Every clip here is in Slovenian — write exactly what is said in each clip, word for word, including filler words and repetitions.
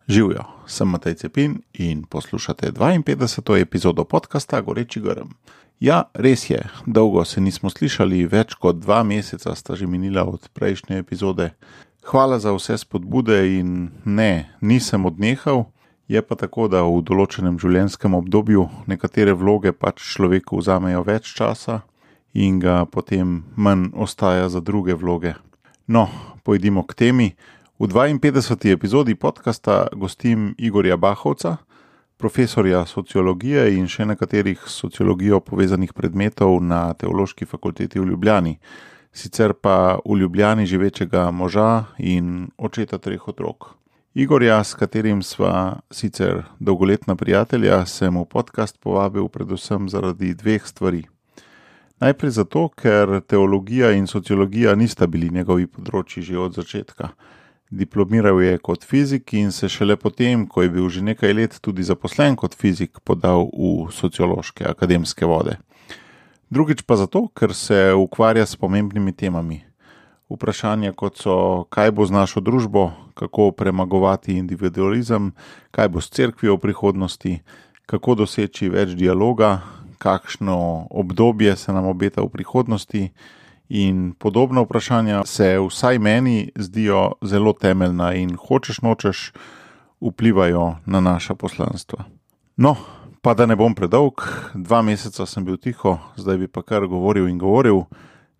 Živijo, sem Matej Cepin in poslušate dvainpetdeseto epizodo podcasta Goreči grm. Ja, res je, dolgo se nismo slišali, več kot dva meseca sta že minila od prejšnje epizode. Hvala za vse spodbude in ne, nisem odnehal, je pa tako, da v določenem življenjskem obdobju nekatere vloge pač človeku vzamejo več časa in ga potem manj ostaja za druge vloge. No, pojdimo k temi. V dvainpetdeseti epizodi podcasta gostim Igorja Bahovca, profesorja sociologije in še nekaterih s sociologijo povezanih predmetov na Teološki fakulteti v Ljubljani, sicer pa v Ljubljani živečega moža in očeta treh otrok. Igorja, s katerim sva sicer dolgoletna prijatelja, sem v podcast povabil predvsem zaradi dveh stvari. Najprej zato, ker teologija in sociologija nista bili njegovi področji že od začetka. Diplomiral je kot fizik in se šele potem, ko je bil že nekaj let tudi zaposlen kot fizik, podal v sociološke akademske vode. Drugič pa zato, ker se ukvarja s pomembnimi temami. Vprašanja kot so, kaj bo z našo družbo, kako premagovati individualizem, kaj bo s cerkvijo v prihodnosti, kako doseči več dialoga, kakšno obdobje se nam obeta v prihodnosti, in podobna vprašanja se vsaj meni zdijo zelo temeljna in hočeš nočeš vplivajo na naša poslanstva. No, pa da ne bom predolg, dva meseca sem bil tiho, zdaj bi pa kar govoril in govoril,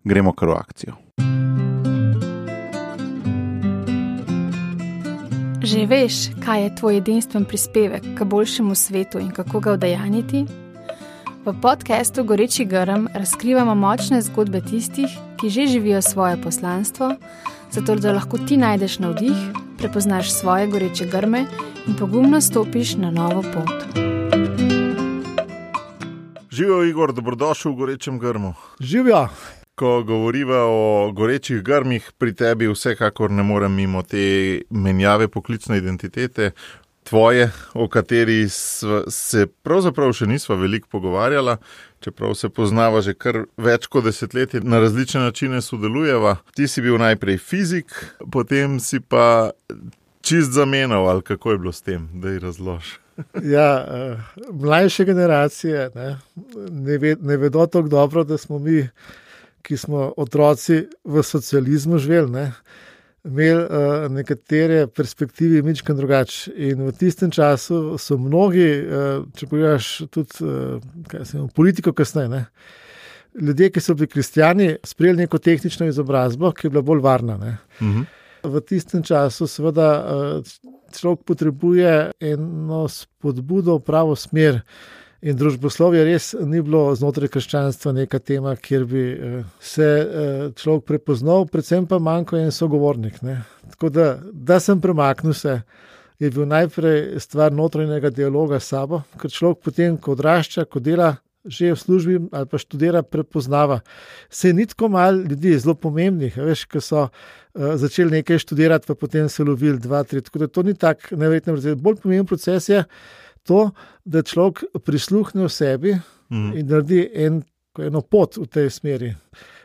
gremo kar v akcijo. Že veš, kaj je tvoj edinstven prispevek k boljšemu svetu in kako ga udejanjiti? V podcastu Goreči grm razkrivamo močne zgodbe tistih, ki že živijo svoje poslanstvo, zato da lahko ti najdeš navdih, prepoznaš svoje goreče grme in pogumno stopiš na novo pot. Živijo, Igor, dobrodošel v Gorečem grmu. Živijo. Ko govoriva o gorečih grmih, pri tebi vsekakor ne morem mimo te menjave poklicne identitete, tvoje, o kateri se pravzaprav še nisva veliko pogovarjala, čeprav se poznava že kar več kot desetletje, na različne načine sodelujeva. Ti si bil najprej fizik, potem si pa čist zamenjal, ali kako je bilo s tem, da ji razloži. Ja, mlajše generacije ne, ne, ve, ne vedo tako dobro, da smo mi, ki smo otroci v socializmu živeli, ne, imeli uh, nekatere perspektive mičken drugače. In v tistem času so mnogi, uh, če pogledaš tudi uh, kaj se, politiko kasneje, ne, ljudje, ki so bili kristjani, sprejeli neko tehnično izobrazbo, ki je bila bolj varna. Ne. Uh-huh. V tistem času seveda uh, človek potrebuje eno spodbudo v pravo smer. In družboslovje res ni bilo znotraj krščanstva neka tema, kjer bi se človek prepoznal, predvsem pa manjko en sogovornik. Ne. Tako da, da sem premaknil se, je bil najprej stvar notranjega dialoga s sabo, ker človek potem, ko odrašča, ko dela že v službi ali pa študira, prepoznava. Se ni tako malo ljudi zelo pomembnih, veš, ki so uh, začeli nekaj študirati, pa potem se lovili dva, tri, tako da to ni tak neverjetno proces. Bolj pomemben proces je to, da človek prisluhne v sebi mm. in naredi en, eno pot v tej smeri.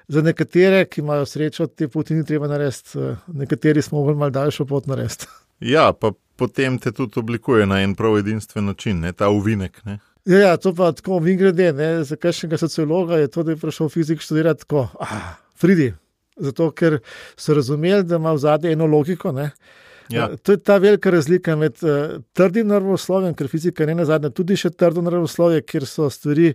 Za nekatere, ki imajo srečo, te poti ni treba narediti, nekateri smo mogli malo daljšo pot narediti. Ja, pa potem te tudi oblikuje na en prav edinstven način, ne, ta uvinek, ne. Ja, ja, to pa tako vingrede, ne, za kakšnega sociologa je to, da je prišel fizik študirati tako, ah, Fridi, zato ker so razumeli, da ima v zadnje eno logiko, ne. Ja. To je ta velika razlika med uh, trdim naravoslovjem, ker fizika ne nazadnje tudi še trdo naravoslovje, kjer so stvari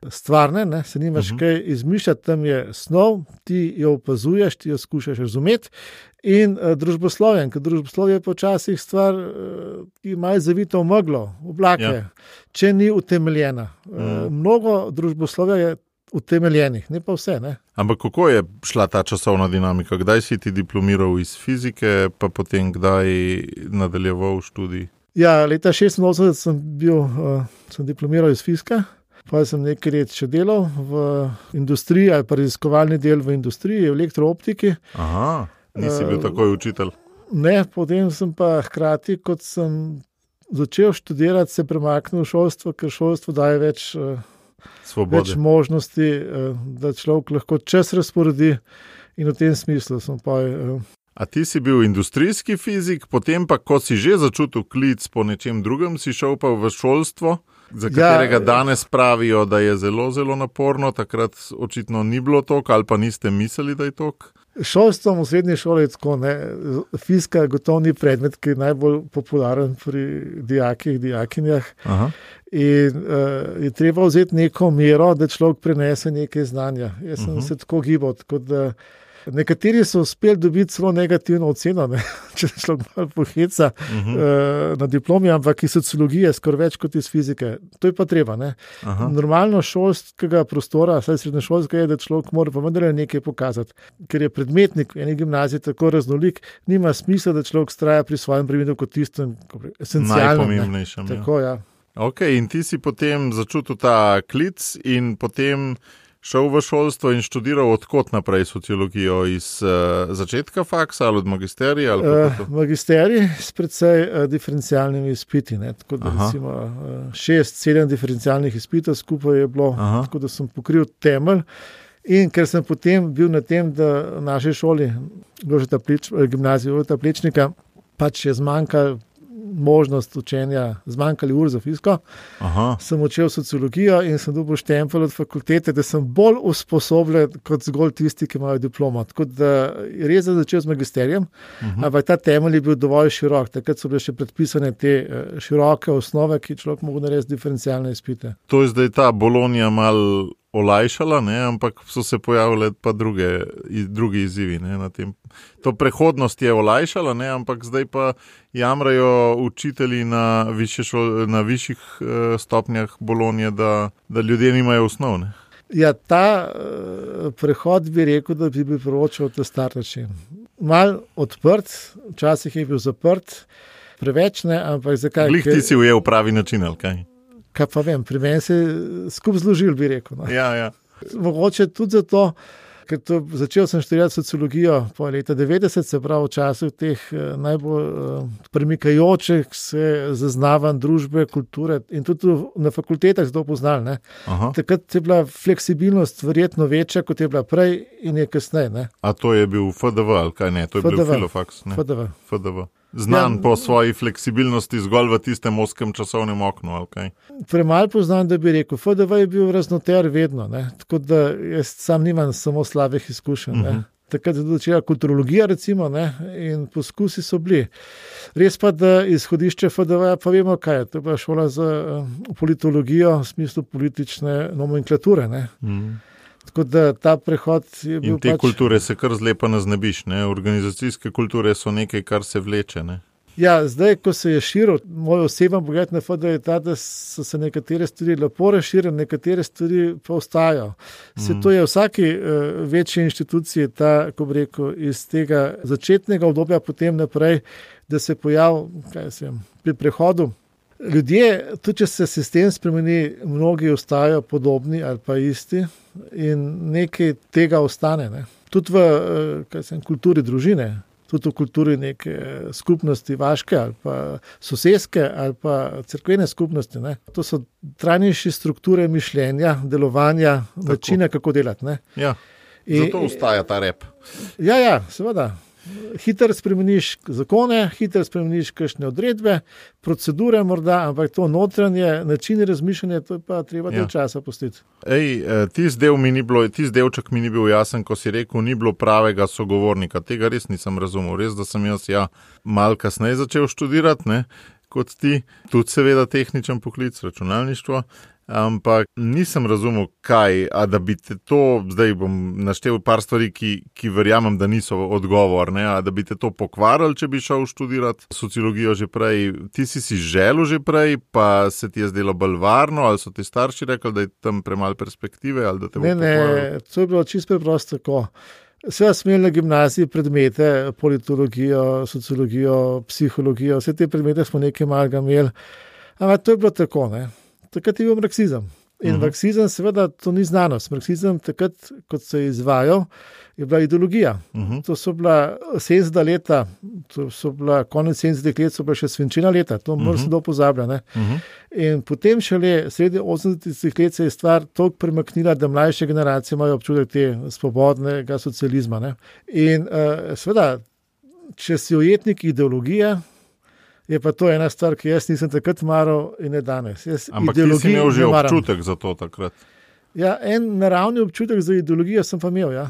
stvarne, ne, se nimaš uh-huh. kaj izmišljati, tam je snov, ti jo opazuješ, ti jo skušaš razumeti, in uh, družboslovjem, ker družboslovje je počasih stvar, uh, ki ima zavito v meglo, v oblake, ja. Če ni utemeljena. Uh, uh-huh. Mnogo družboslovja je utemeljenih, ne pa vse, ne. Ampak kako je šla ta časovna dinamika? Kdaj si ti diplomiral iz fizike, pa potem kdaj nadaljeval študij? Ja, leta šestinosemdeset sem bil, uh, sem diplomiral iz fizika, pa sem nekaj let še delal v industriji, ali pa raziskovalni del v industriji, v elektrooptiki. Aha, nisi bil uh, takoj učitelj? Ne, potem sem pa hkrati, kot sem začel študirati, se premaknil v šolstvo, ker šolstvo daje več uh, Svobode. Več možnosti, da človek lahko čas razporedi in v tem smislu sem pa... A ti si bil industrijski fizik, potem pa, ko si že začutil klic po nečem drugem, si šel pa v šolstvo, za katerega ja, danes pravijo, da je zelo, zelo naporno, takrat očitno ni bilo toliko ali pa niste mislili, da je toliko? Šolstvo v srednji šoli je tako, ne. Fizika gotovo ni predmet, ki je najbolj popularen pri dijakih, dijakinjah. Aha. In uh, je treba vzeti neko mero, da človek prenese nekaj znanja. Jaz sem uh-huh. se tako gibal, tako da nekateri so uspeli dobiti celo negativno oceno, ne? Če se človek malo poheca uh-huh. uh, na diplomi, ampak iz sociologije skoraj več kot iz fizike. To je pa treba. Ne? Normalno šolskega prostora, saj srednješolskega je, da človek mora pa vendar nekaj pokazati. Ker je predmetnik v eni gimnaziji tako raznolik, nima smisla, da človek straja pri svojem predmetu kot tistem esencialnem. Najpomembnejšem. Tako, ja. Ok, in ti si potem začutil ta klic in potem šel v šolstvo in študiral odkot naprej sociologijo, iz uh, začetka faksa ali od magisterija? Ali uh, magisterij s precej uh, diferencialnimi izpiti, ne? Tako da Aha. recimo uh, šest, sedem diferencialnih izpitov skupaj je bilo, Aha. tako da sem pokril temelj. In ker sem potem bil na tem, da v naši šoli, Pleč, gimnaziji Jožeta Plečnika, pač je zmanjkalo možnost učenja, zmanjkali ur za fiziko, Aha. sem učil sociologijo in sem dobil štempelj od fakultete, da sem bolj usposobljen kot zgolj tisti, ki imajo diplomo. Tako da res sem začel z magisterijem, uh-huh. ampak ta temelj je bil dovolj širok. Takrat so bile še predpisane te široke osnove, ki človek mogo narediti diferencialne izpite. To je zdaj ta Bolonija malo olajšala, ne? Ampak so se pojavile pa druge, drugi izzivi. Ne? Na tem. To prehodnost je olajšala, ne? Ampak zdaj pa jamrajo učitelji na, šol, na višjih uh, stopnjah Bolonije, da, da ljudje nimajo osnov. Ne? Ja, ta uh, prehod bi rekel, da bi bil proročal ta star način. Mal odprt, včasih je bil zaprt, preveč ne, ampak zakaj? Glih ti si ujel pravi način, ali kaj? Kaj pa vem, pri meni se skup zložil, bi rekel. No. Ja, ja. Mogoče tudi zato, ker to, začel sem študirati sociologijo po leta devetdeset, se pravi v času teh najbolj uh, premikajočih se zaznavanj družbe, kulture in tudi na fakultetah zelo poznali. Takrat je bila fleksibilnost verjetno večja, kot je bila prej in je kasneje. Ne? A to je bil F D V ali kaj ne? To je F D V. Bil Filofaks. Ne? F D V. F D V. Znan ja, po svoji fleksibilnosti zgolj v tistem oskem časovnem oknu, ali kaj? Premalo poznam, da bi rekel. F D V je bil raznoter vedno, ne? Tako da jaz sam nimam samo slabih izkušenj. Uh-huh. Takrat je začela kulturologija, recimo, ne? In poskusi so bili. Res pa, da izhodišče F D V pa vemo, kaj je. To je bila šola za politologijo v smislu politične nomenklature, ne? Uh-huh. Tako da ta prehod je bil in te pač... kulture se kar zlepa naznebiš, ne? Organizacijske kulture so nekaj, kar se vleče, ne? Ja, zdaj, ko se je širil, moj oseben pogled na F D V je ta, da so se nekatere stvari lepo razširili, nekatere stvari pa ostajajo. Se mm. to je v vsaki uh, večji inštituciji ta, ko bi rekel, iz tega začetnega obdobja potem naprej, da se pojav, kaj se vem, pri prehodu. Ljudje, tudi če se sistem spremeni, mnogi ostajajo podobni ali pa isti in nekaj tega ostane. Ne. Tudi v kaj sem, kulturi družine, tudi v kulturi neke skupnosti vaške ali pa soseske ali pa cerkvene skupnosti. Ne. To so trajnejše strukture mišljenja, delovanja, Tako. načina, kako delati. Ne. Ja, zato ostaja ta rep. Ja, ja, seveda. Hitro spremeniš zakone, hitro spremeniš kakšne odredbe, procedure morda, ampak to notranje načine razmišljanja, to je pa treba del ja. časa pustiti. Ej, tisti del mi ni bilo, tisti delček mi ni bil jasen, ko si rekel, ni bilo pravega sogovornika. Tega res nisem razumel. Res, da sem jaz ja malo kasneje začel študirati, ne, kot ti. Tudi seveda tehničen poklic, računalništvo. Ampak nisem razumel, kaj, a da bi te to, zdaj bom naštel par stvari, ki, ki verjamem, da niso odgovor, ne, a da bi te to pokvarili, če bi šel študirati sociologijo že prej. Ti si si želel že prej, pa se ti je zdelo bolj varno, ali so ti starši rekli, da je tam premalo perspektive, ali da te bo ne, pokvarili? Ne, to je bilo čisto preprosto tako. Seveda smo imeli na gimnaziji predmete, politologijo, sociologijo, psihologijo, vse te predmete smo nekaj malega imeli, ampak to je bilo tako, ne. Takrat je bil marksizem. In uh-huh. marksizem, seveda, to ni znanost. Marksizem, takrat, kot se je izvajal, je bila ideologija. Uh-huh. To so bila sedemdeseta leta, to so bila konec sedemdesetih let, so bila še svinčena leta. To uh-huh. mora se do pozablja. Uh-huh. In potem šele sredi osemdesetih let se je stvar toliko premaknila, da mlajše generacije imajo občutek te svobodnega socializma. Ne? In uh, seveda, če si ujetnik ideologije, je pa to ena stvar, ki jaz nisem takrat maral in ne danes. Jaz Ampak ti si imel že občutek za to takrat. Ja, en naravni občutek za ideologijo sem pa imel, ja.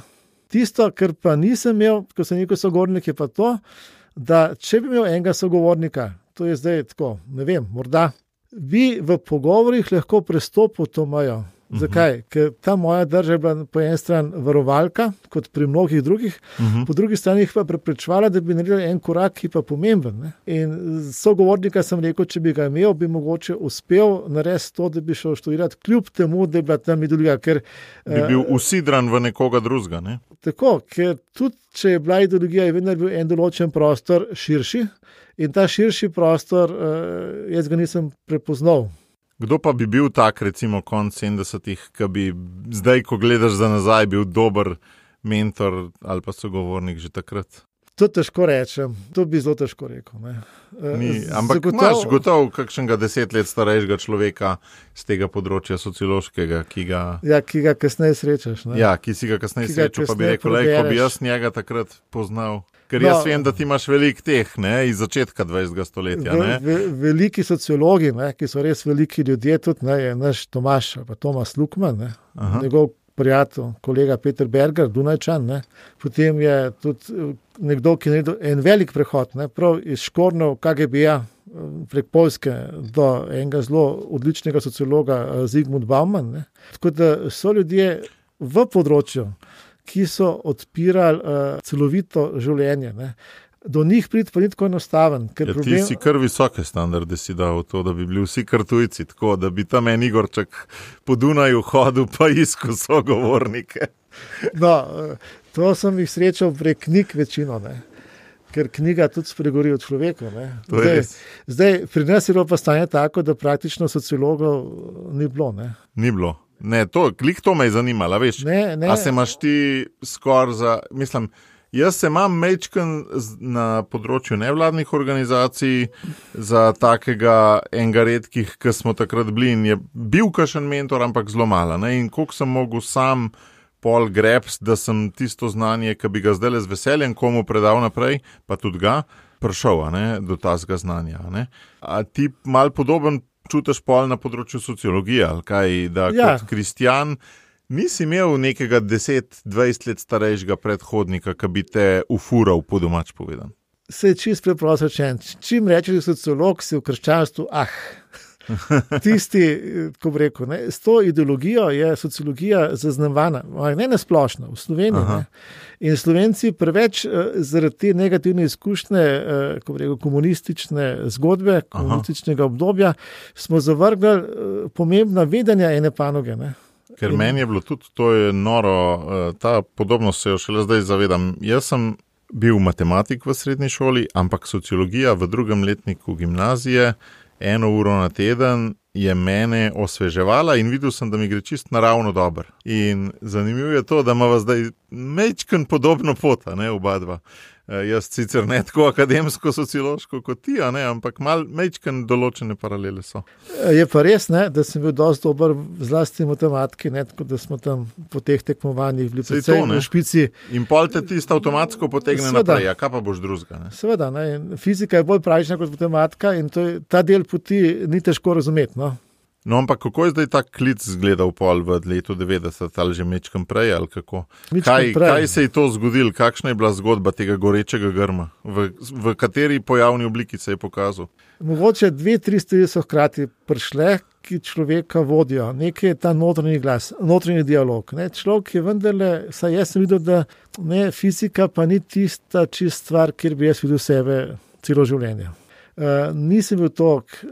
Tisto, kar pa nisem imel, ko sem rekel sogovornik, je pa to, da če bi imel enega sogovornika, to je zdaj tako, ne vem, morda, bi v pogovorih lahko prestopil to mejo. Zakaj? Ker ta moja drža je bila po eni strani varovalka, kot pri mnogih drugih, uh-huh. po drugi strani jih pa preprečevala, da bi naredili en korak, ki pa pomemben. Ne? In sogovornika sem rekel, če bi ga imel, bi mogoče uspel narediti to, da bi šel študirati, kljub temu, da je bila tam ideologija. Ker bi bil usidran v nekoga drugega, ne? Tako, ker tudi, če je bila ideologija, je vedno bil en določen prostor širši in ta širši prostor, jaz ga nisem prepoznal. Kdo pa bi bil tak, recimo, konc sedemdesetih, ki bi zdaj, ko gledaš za nazaj, bil dober mentor ali pa sogovornik že takrat? To težko rečem, to bi zelo težko rekel. Ne. Ni, ampak Zagotov... imaš gotovo kakšnega deset let starejšega človeka z tega področja sociološkega, ki ga... Ja, ki ga kasneje srečaš. Ne. Ja, ki si ga kasneje srečal, pa bi rekel, lej, ko bi jaz njega takrat poznal. Ker jaz no, vem, da ti imaš veliko teh, ne, iz začetka dvajsetega stoletja. Ne. Ve, veliki sociologi, ne, ki so res veliki ljudje, tudi ne, je naš Tomaš, pa Tomas Lukman, ne, njegov prijatelj, kolega Peter Berger, Dunajčan, ne, potem je tudi nekdo, ki je naredil en velik prehod, ne, prav iz Škornov K G B-ja prek Poljske do enega zelo odličnega sociologa Zygmunt Bauman. Ne. Tako da so ljudje v področju, ki so odpirali uh, celovito življenje. Ne. Do njih priti pa ni tako enostaven. Ker ja, problem... Ti si kar visoke standarde si dal to, da bi bili vsi kar tujci, tako da bi tam en Igorček po Dunaju hodil pa iskal sogovornike. No, to sem jih srečal prek knjig večino, ne. Ker knjiga tudi spregovori o človeku. Ne. Zdaj, zdaj, pri nas je bilo pa stanje tako, da praktično sociologov ni bilo. Ne. Ni bilo. Ne, to, klik to me je zanimalo, veš. Ne, ne. A se imaš ti skor za, mislim, jaz se imam mečken na področju nevladnih organizacij za takega enega redkih, ki smo takrat bili in je bil kakšen mentor, ampak zelo malo. Ne? In koliko sem mogel sam pol greps, da sem tisto znanje, ki bi ga zdaj z veseljem komu predal naprej, pa tudi ga, prišel, a ne, do tazga znanja. A, ne? A ti mal podoben čutiš pol na področju sociologije, ali kaj, da ja. Kot kristjan nisi imel nekega deset dvajset let starejšega predhodnika, ki bi te ufural, po domač povedan. Se je čist preprosto rečen. Čim rečeš sociolog, si v krščanstvu, ah, tisti, ko bi rekel, ne, s to ideologijo je sociologija zaznavana, ne nasplošno, v Sloveniji. Ne. In Slovenci preveč zaradi te negativne izkušnje, ko bi rekel, komunistične zgodbe, komunističnega Aha. obdobja, smo zavrgli pomembna vedenja ene panoge. Ne. Ker In... meni je bilo tudi, to je noro, ta podobnost se jo šele zdaj zavedam. Jaz sem bil matematik v srednji šoli, ampak sociologija v drugem letniku gimnazije eno uro na teden je mene osveževala in videl sem, da mi gre čist naravno dobro. In zanimivo je to, da imava zdaj mečken podobno pot, ne, oba dva. E, jaz sicer ne tako akademsko, sociološko kot ti, ne, ampak mal mečken določene paralele so. Je pa res, ne, da sem bil dosti dober zlasti matematiki, ne, tako da smo tam po teh tekmovanjih bili predvsej v špici. In pol te tisto avtomatsko potegne Sveda. Naprej, a kaj pa boš drugega? Ne? Seveda, ne, fizika je bolj pravična kot matematika in to je, ta del poti ni težko razumeti. No? No, ampak kako je zdaj ta klic zgledal pol v letu devetdeset ali že mečkem prej ali kako? Kaj, kaj se je to zgodilo? Kakšna je bila zgodba tega gorečega grma? V, v kateri pojavni obliki se je pokazal? Mogoče dve, tri stvari so hkrati prišle, ki človeka vodijo. Nekaj je ta notranji glas, notranji dialog. Ne? Človek je vendarle, saj jaz sem videl, da ne, fizika pa ni tista čist stvar, kjer bi jaz videl sebe celo življenje. Uh, nisem bil to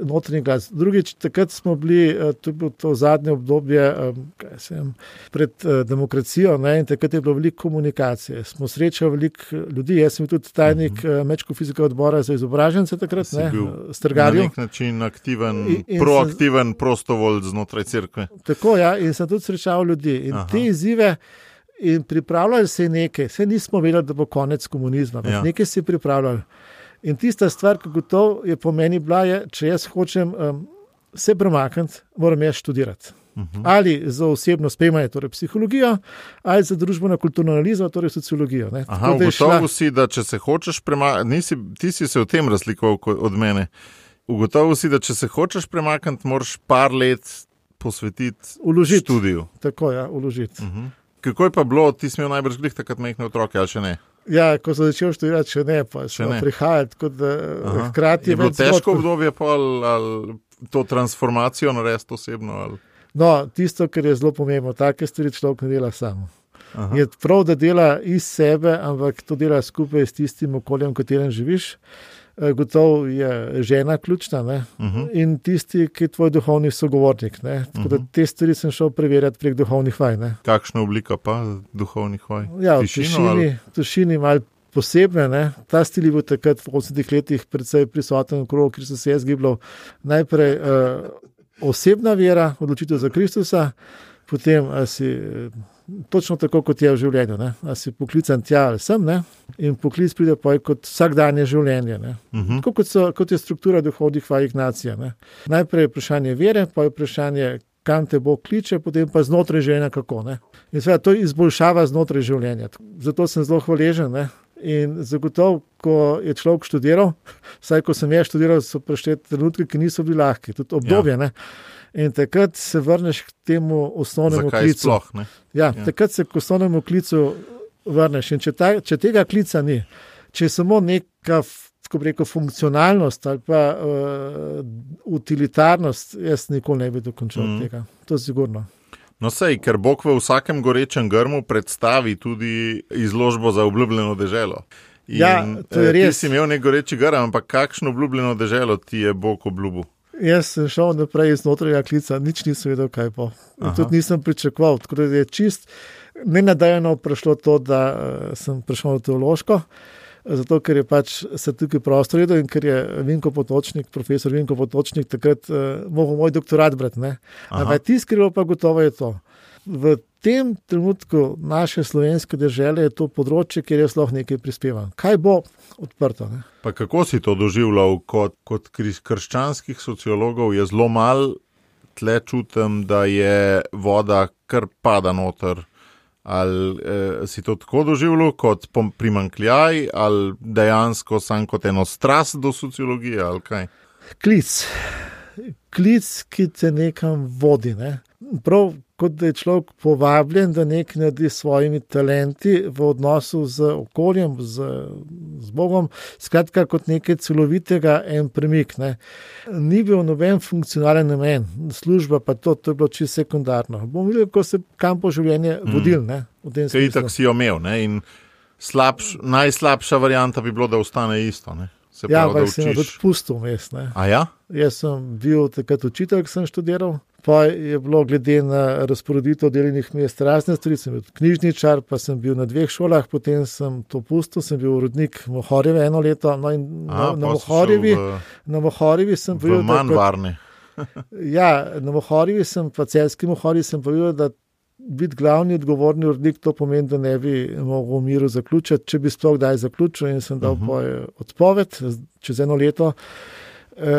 notranji glas. Drugič, takrat smo bili, uh, to je bilo to zadnje obdobje um, kaj sem, pred uh, demokracijo, ne, in takrat je bilo veliko komunikacije. Smo srečali veliko ljudi, jaz sem bil tudi tajnik uh-huh. uh, Mečko-fizikega odbora za izobražence takrat, ne, Strgarju. Na nek način aktiven, in, in proaktiven sem, prostovolj znotraj cerkve. Tako, ja, in sem tudi srečal ljudi. In Aha. te izzive in pripravljali se nekaj, se nismo vedeli, da bo konec komunizma, ja. Nekaj se je pripravljali. In tista stvar, ki gotovo je po meni bila, je, če jaz hočem um, se premakniti, moram jaz študirati. Uh-huh. Ali za osebno spremljanje, torej psihologijo, ali za družbeno-kulturno analizo, torej sociologijo. Ne. Aha, ugotovil šla... si, da če se hočeš premakniti, ti si se v tem razlikoval od mene, ugotovil si, da če se hočeš premakniti, moraš par let posvetiti uložiti. Študiju. Tako, ja, uložiti. Uh-huh. Kako je pa bilo, ti si imel najbrž glih takrat majhne otroke, ali še ne? Ja, ko sem začel študirati, še ne, pa še ne prihajati, kot da hkrati je bilo težko obdobje pa ali, ali to transformacijo narediti osebno? Ali? No, tisto, kar je zelo pomembno, take stvari človek ne dela samo. Aha. Je prav, da dela iz sebe, ampak to dela skupaj s tistim okoljem, v katerem živiš. Gotovo je žena ključna, ne? Uh-huh. In tisti, ki je tvoj duhovni sogovornik. Ne? Tako da te stvari sem šel preverjati prek duhovnih vaj. Ne? Kakšna oblika pa duhovnih vaj? Ja, v tišini, tišini malo posebne. Ne? Ta stil je bil takrat v osemdesetih letih predvsej prisoten okrog, ker so se je zgibljal najprej uh, osebna vera, odločitev za Kristusa, potem si točno tako, kot je v življenju. Ne? A si poklican tja ali sem, ne? In poklic pride pa kot vsakdanje življenje. Ne? Uh-huh. Tako kot, so, kot je struktura duhovnih vaj Ignacija. Ne? Najprej je vprašanje vere, pa je vprašanje, kam te Bog kliče, potem pa znotraj življenja kako. Ne? In seveda to izboljšava znotraj življenja. Zato sem zelo hvaležen. Ne? In zagotovo, ko je človek študiral, vsaj ko sem jaz študiral, so prišli trenutki, ki niso bili lahki, tudi obdobje. Ja. In takrat se vrneš k temu osnovnemu Zakaj klicu. Sploh, ne? Ja, ja, takrat se k osnovnemu klicu vrneš. In če, ta, če tega klica ni, če je samo neka, kako bi rekel, funkcionalnost ali pa uh, utilitarnost, jaz nikoli ne bi dokončal mm. tega. To je sigurno. No sej, ker Bog v vsakem gorečem grmu predstavi tudi izložbo za obljubljeno deželo. In, ja, to je res. Ti si imel nek goreči grm, ampak kakšno obljubljeno deželo ti je Bog obljubil? Jaz sem šel naprej iz notranjega klica, nič nisem vedel, kaj bo. Tudi nisem pričakoval. Tako da je čist nenadajeno prišlo to, da sem prišel na teološko, zato ker je pač se tukaj prostor redel in ker je Vinko Potočnik, profesor Vinko Potočnik, takrat uh, mogel moj doktorat brati. Ampak ti skrilo pa gotovo je to. V tem trenutku naše slovenske dežele je to področje, kjer jaz lahko nekaj prispevam. Kaj bo odprto? Ne? Pa kako si to doživljal kot, kot krščanskih sociologov? Je zelo malo tle čutim, da je voda kar pada noter. Ali eh, si to tako doživljal kot primanjkljaj, ali dejansko sam kot eno strast do sociologije, ali kaj? Klic. Klic, ki te nekam vodi. Ne? Prav kot da je človek povabljen, da nekaj naredi s svojimi talenti v odnosu z okoljem, z, z Bogom, skratka kot nekaj celovitega en premik. Ne. Ni bil noben funkcionalen namen, služba pa to, to je bilo čisto sekundarno. Bomo videli, kako se kam po življenje vodil. Ne, v tem smislu. Kaj tak si jo imel, ne, in slabš, najslabša varianta bi bilo, da ostane isto, ne. Se ja, pravi, pa sem tudi pustil vmes. A ja? Jaz sem bil takrat učitelj, ki sem študiral, pa je bilo glede na razporeditev delovnih mest razne stvari, sem bil knjižničar, pa sem bil na dveh šolah, potem sem to pustil, sem bil urednik Mohorjeve eno leto, no in A, na, na Mohorjevi, v, na Mohorjevi sem v manj varni. Ja, na Mohorjevi sem, pa celski Mohorjevi sem povedal, da biti glavni odgovorni urednik, to pomeni, da ne bi mogel v miru zaključiti, če bi sploh kdaj zaključil in sem dal uh-huh. odpoved čez eno leto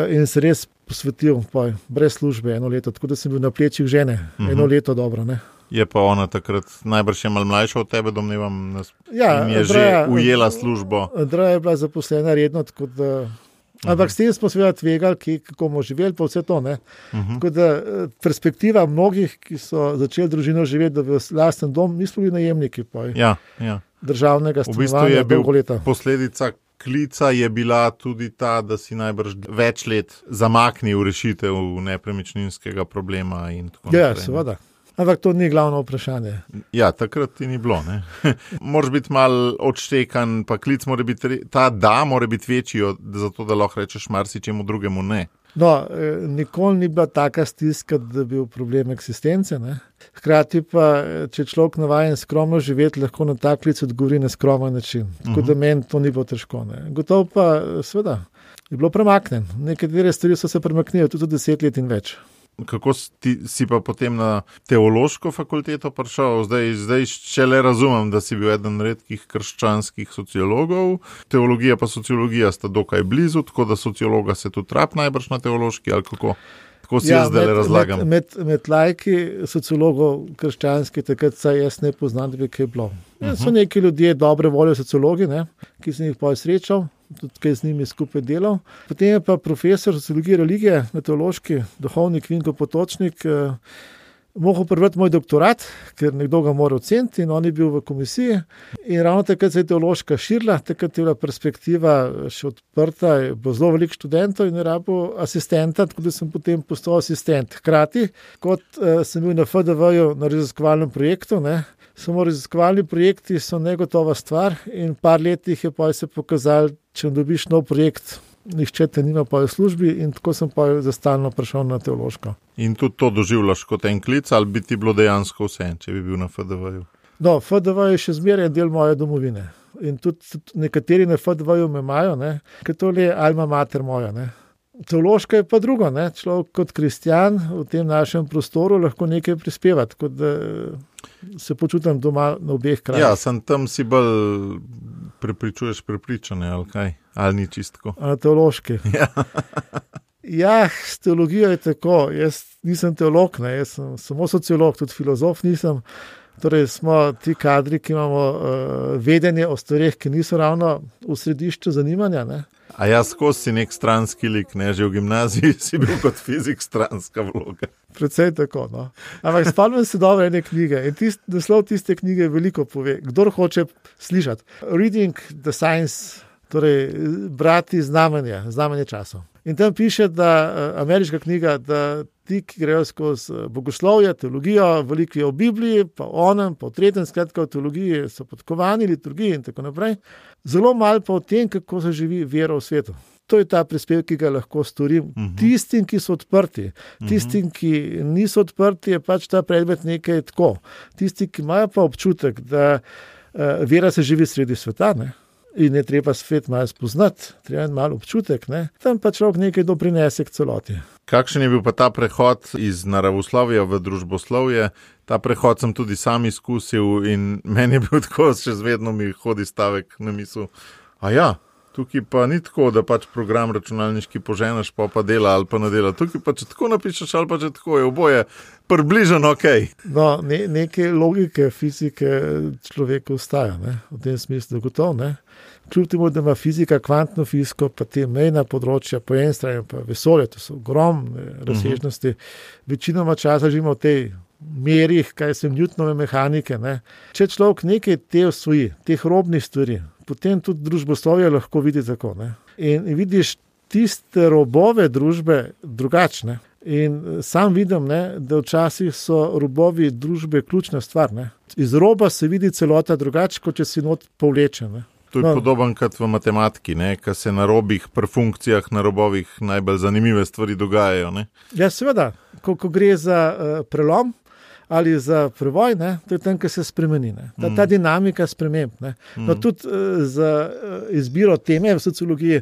in se res posvetil poj, brez službe eno leto, tako da sem bil na plečih žene uh-huh. eno leto dobro. Ne? Je pa ona takrat najbrž je malo mlajša od tebe, domnevam, ja, in je Andreja, že ujela službo. Andreja je bila zaposlena redno, tako da ampak s tem smo seveda tvegali, ki, kako bomo živeli, pa vse to. Ne? Uh-huh. Tako da perspektiva mnogih, ki so začeli družino živeti, da v lasten dom, nismo bili najemniki ja, ja. državnega stanovanja. V bistvu je bil posledica klica je bila tudi ta, da si najbrž več let zamaknil rešitev nepremičninskega problema in tako naprej. Ja, seveda. Ampak to ni glavno vprašanje. Ja, takrat ti ni bilo. Moraš biti mal odštekan, pa klic mora biti, ta da mora biti večji, zato da lahko rečeš marsičemu drugemu ne. No, nikoli ni bila taka stiska, da bi bil problem eksistence. Ne? Hkrati pa, če človek navajen skromno živeti, lahko na tak klic odgovori na skromen način. Tako uh-huh. da meni to ni bilo težko. Ne? Gotovo pa, seveda, je bilo premaknen. Nekatere stvari so se premaknile tudi deset let in več. Kako si, si pa potem na teološko fakulteto prišel? Zdaj, zdaj še le razumem, da si bil eden redkih krščanskih sociologov. Teologija pa sociologija sta dokaj blizu, tako da sociologa se tudi trap najbrž na teološki ali kako? tako si ja, jaz zdaj razlagam. Med, med, med lajki sociologov krščanskih, takrat saj jaz ne poznam, da bi kaj bilo. Uh-huh. So neki ljudje dobre volje sociologi, ne, ki sem jih pa srečal, tudi kaj z njimi skupaj delal. Potem je pa profesor sociologije religije, teološki, duhovnik Vinko Potočnik, eh, mohel prebrati moj doktorat, ker nekdo ga mora oceniti in on je bil v komisiji. In ravno takrat se je teološka širila, takrat je bila perspektiva še odprta, je bilo zelo veliko študentov in je rabil asistenta, tako da sem potem postal asistent. Hkrati, kot eh, sem bil na F D V-ju na raziskovalnem projektu, ne, samo raziskovalni projekti so negotova stvar in par letih je pa se pokazalo, če dobiš nov projekt, nihče te nima pa v službi in tako sem pa za stalno prišel na teološko. In tudi to doživljaš kot en klic ali bi ti bilo dejansko vse, če bi bil na F D V-ju? No, F D V je še zmeraj del moje domovine. In tudi, tudi nekateri na F D V-ju me imajo, ne, ker to je alma mater moja. Ne. Teološka je pa drugo. Ne. Človek kot kristjan v tem našem prostoru lahko nekaj prispeva, tako da se počutim doma na obeh krajih. Ja, sem tam si bolj prepričuješ prepričane, ali kaj? Ali ni čistko? A teološki. Ja. Ja, s teologijo je tako. Jaz nisem teolog, ne. Jaz sem samo sociolog, tudi filozof nisem. Torej smo ti kadri, ki imamo uh, vedenje o stvareh, ki niso ravno v središču zanimanja. Ne. A jaz skozi si nek stranski lik, ne, že v gimnaziji si bil kot fizik stranska vloga. Predvsej tako, no. Ampak spomnim se dobro ene knjige in tist, naslov tiste knjige veliko pove. Kdor hoče slišati. Reading the Science, torej brati znamenja, znamenje časov. In tam piše, da ameriška knjiga, da ti, ki grejo skozi bogoslovje, teologijo, veliko je o Bibliji, pa o onem, pa o tretjem, skratka o teologiji so podkovani, liturgiji in tako naprej. Zelo malo pa o tem, kako se živi vera v svetu. To je ta prispevek, ki ga lahko storim. Uh-huh. Tistim, ki so odprti, tistim, ki niso odprti, je pač ta predmet nekaj tako. Tisti, ki imajo pa občutek, da uh, vera se živi sredi sveta, ne? In je treba svet malo spoznati, treba je malo občutek, ne? Tam pa človek nekaj doprinese k celoti. Kakšen je bil pa ta prehod iz naravoslovja v družboslovje? Ta prehod sem tudi sam izkusil in meni je bil tako, še zvedno mi hodi stavek na misel. A ja, tukaj pa ni tako, da pač program računalniški poženeš, pa pa dela ali pa ne dela. Tukaj pa če tako napišeš ali pa če tako je oboje približno ok. No, ne, neke logike fizike človeka ustaja, ne? V tem smislu gotovo, ne? Kljub temu, da ima fizika kvantno fiziko, pa te mejna področja po eni strani, pa vesolje, to so ogromne razsežnosti. Uh-huh. Večinoma časa živimo v tej merih, kaj se Newtonove mehanike. Ne? Če človek nekaj te osvoji, teh robnih stvari, potem tudi družboslovje lahko vidi tako. Ne? In, in vidiš tiste robove družbe drugačne. In sam vidim, ne, da včasih so robovi družbe ključna stvar. Ne? Iz roba se vidi celota drugače, kot če si not povlečen. Ne? To je no. Podoben kot v matematiki, ne? Ko se na robih, pri funkcijah na robovih najbolj zanimive stvari dogajajo. Ne? Ja, seveda, ko, ko gre za uh, prelom ali za prevoj, ne? To je tam, ko se spremeni. Ne? Ta, ta dinamika sprememb. Ne? No, tudi uh, za uh, izbiro teme v sociologiji,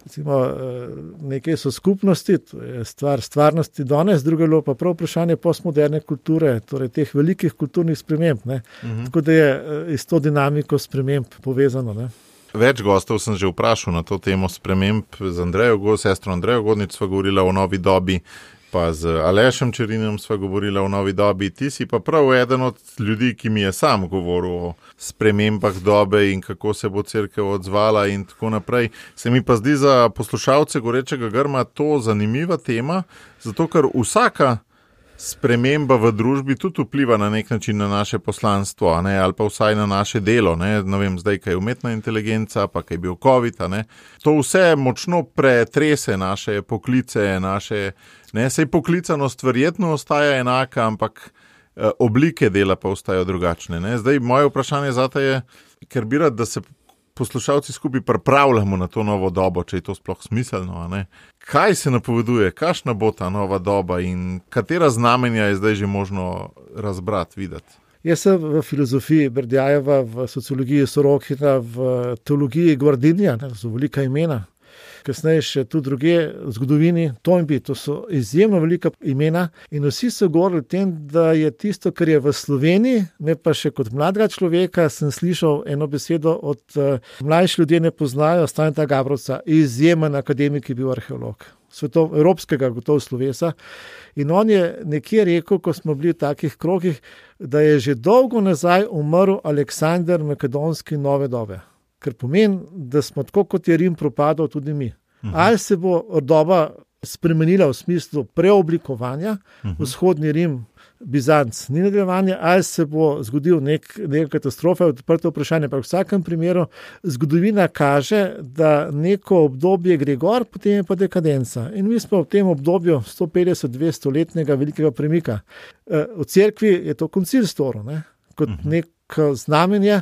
recimo, uh, nekaj so skupnosti, to je stvar stvarnosti danes, drugo je pa prav vprašanje postmoderne kulture, torej teh velikih kulturnih sprememb. Ne? Uh-huh. Tako da je uh, iz to dinamiko sprememb povezano. Ne? Več gostov sem že vprašal na to temo sprememb z Andrejo, sestro Andrejo Godnič sva govorila o novi dobi, pa z Alešem Čerinom sva govorila o novi dobi. Ti si pa prav eden od ljudi, ki mi je sam govoril o spremembah dobe in kako se bo cerkev odzvala in tako naprej. Se mi pa zdi za poslušalce Gorečega grma to zanimiva tema, zato ker vsaka sprememba v družbi tudi vpliva na nek način na naše poslanstvo, a ne, ali pa vsaj na naše delo, ne, ne vem, zdaj, kaj je umetna inteligenca, pa kaj je bil COVID, a ne. To vse močno pretrese naše poklice, naše, ne, sej poklicanost verjetno ostaja enaka, ampak eh, oblike dela pa ostajajo drugačne, ne. Zdaj, moje vprašanje zate je, ker bi rad, da se poslušalci skupaj pripravljamo na to novo dobo, če je to sploh smiselno, a ne. Kaj se napoveduje, kakšna bo ta nova doba in katera znamenja je zdaj že možno razbrati, videti? Jaz sem v filozofiji Berdjajeva, v sociologiji Sorokina, v teologiji Guardinija, to so velika imena. kasneje še tudi druge v zgodovini, Toynbee, to so izjemno velika imena in vsi so govorili o tem, da je tisto, kar je v Sloveniji, me pa še kot mladega človeka sem slišal eno besedo od uh, mlajši ljudje ne poznajo, Staneta Gabrovca, izjemen akademik je bil arheolog. Svetov, evropskega gotovo slovesa. In on je nekje rekel, ko smo bili v takih krogih, da je že dolgo nazaj umrl Aleksander Makedonski nove dobe. Ker pomeni, da smo tako kot je Rim propadal tudi mi. Uh-huh. Ali se bo doba spremenila v smislu preoblikovanja, uh-huh. vzhodni Rim, Bizanc, ni nadaljevanje, ali se bo zgodil nek, neka katastrofa, odprto vprašanje. Pa v vsakem primeru zgodovina kaže, da neko obdobje gre gor, potem je pa dekadenca. In mi smo v tem obdobju sto petdeset do dvesto letnega velikega premika. V cerkvi je to koncil storil, ne? Kot uh-huh. neko znamenje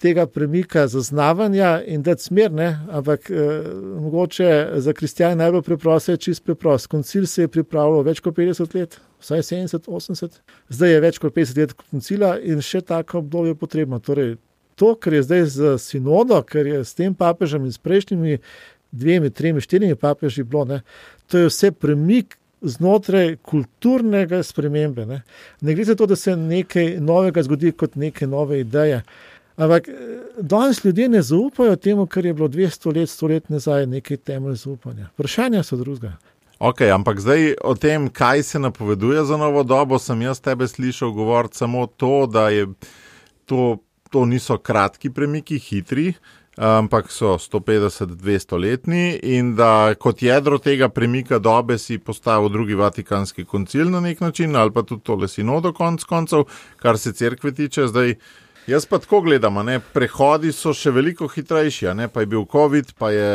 tega premika, zaznavanja in dati smer, ne? Ampak eh, mogoče za kristjane najbolj preprosto je čist preprost. Koncil se je pripravljal več kot petdeset let, vsaj sedemdeset, osemdeset. Zdaj je več kot petdeset let koncila in še tako obdobje je potrebno. Torej, to, kar je zdaj z sinodo, kar je s tem papežem in s prejšnjimi dvemi, tremi, štirimi papeži bilo, ne? To je vse premik znotraj kulturnega spremembe. Ne, ne gre za to, da se nekaj novega zgodi kot neke nove ideje. Ampak danes ljudje ne zaupajo temu, kar je bilo dvesto let, sto let nazaj nekaj temelj zaupanja. Vprašanja so drugega. Ok, ampak zdaj o tem, kaj se napoveduje za novo dobo, sem jaz tebe slišal govoriti samo to, da je to, to niso kratki premiki, hitri, ampak so sto petdeset do dvesto letni in da kot jedro tega premika dobe si postavil drugi vatikanski koncil na nek način ali pa tudi tole sinodo konc koncev, kar se cerkve tiče zdaj. Jaz pa tako gledam, ne, prehodi so še veliko hitrejši, ne, pa je bil COVID, pa je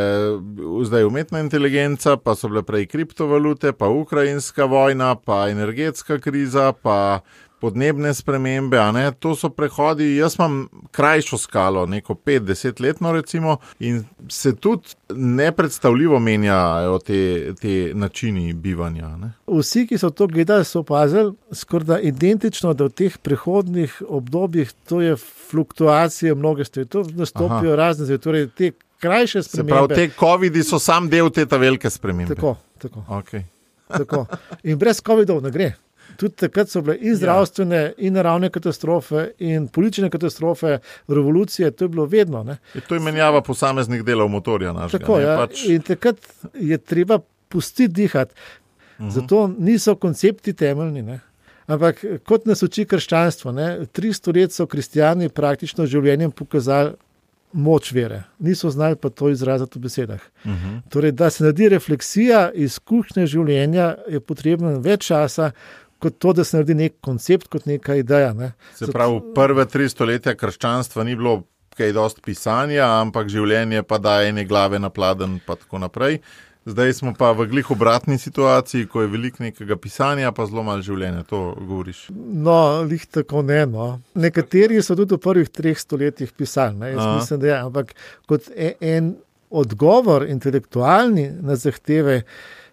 zdaj umetna inteligenca, pa so bile prej kriptovalute, pa ukrajinska vojna, pa energetska kriza, pa podnebne spremembe, a ne, to so prehodi, jaz imam krajšo skalo, neko pet, deset letno recimo in se tudi nepredstavljivo menjajo te, te načini bivanja, ne. Vsi, ki so to gledali, so opazili skorda identično, da v teh prehodnih obdobjih to je fluktuacija mnoge stvari, to nastopijo razne stvari, torej te krajše spremembe. Se pravi, te covidi so sam del te ta velike spremembe. Tako, tako. Okay. Tako. In brez covidov ne gre. Tudi takrat so bile in zdravstvene, ja. in naravne katastrofe, in politične katastrofe, revolucije, to je bilo vedno. Ne? Je to je menjava posameznih delov motorja našega. Tako, ja. Pač... In takrat je treba pustiti dihati. Uh-huh. Zato niso koncepti temeljni. Ne? Ampak kot nas uči krščanstvo, ne? tristo let so kristjani praktično življenjem pokazali moč vere. Niso znali pa to izraziti v besedah. Uh-huh. Torej, da se naredi refleksija izkušnje življenja, je potrebno več časa, kot to, da se naredi nek koncept, kot neka ideja. Ne. Se pravi, prve tri stoletja krščanstva ni bilo kaj dosti pisanja, ampak življenje pa daje ene glave na pladen pa tako naprej. Zdaj smo pa v glih obratni situaciji, ko je veliko nekega pisanja, pa zelo malo življenja, to govoriš. No, lih tako ne, no. Nekateri so tudi v prvih treh stoletjih pisali, ne. Jaz Aha. mislim, da je, ampak kot en odgovor intelektualni na zahteve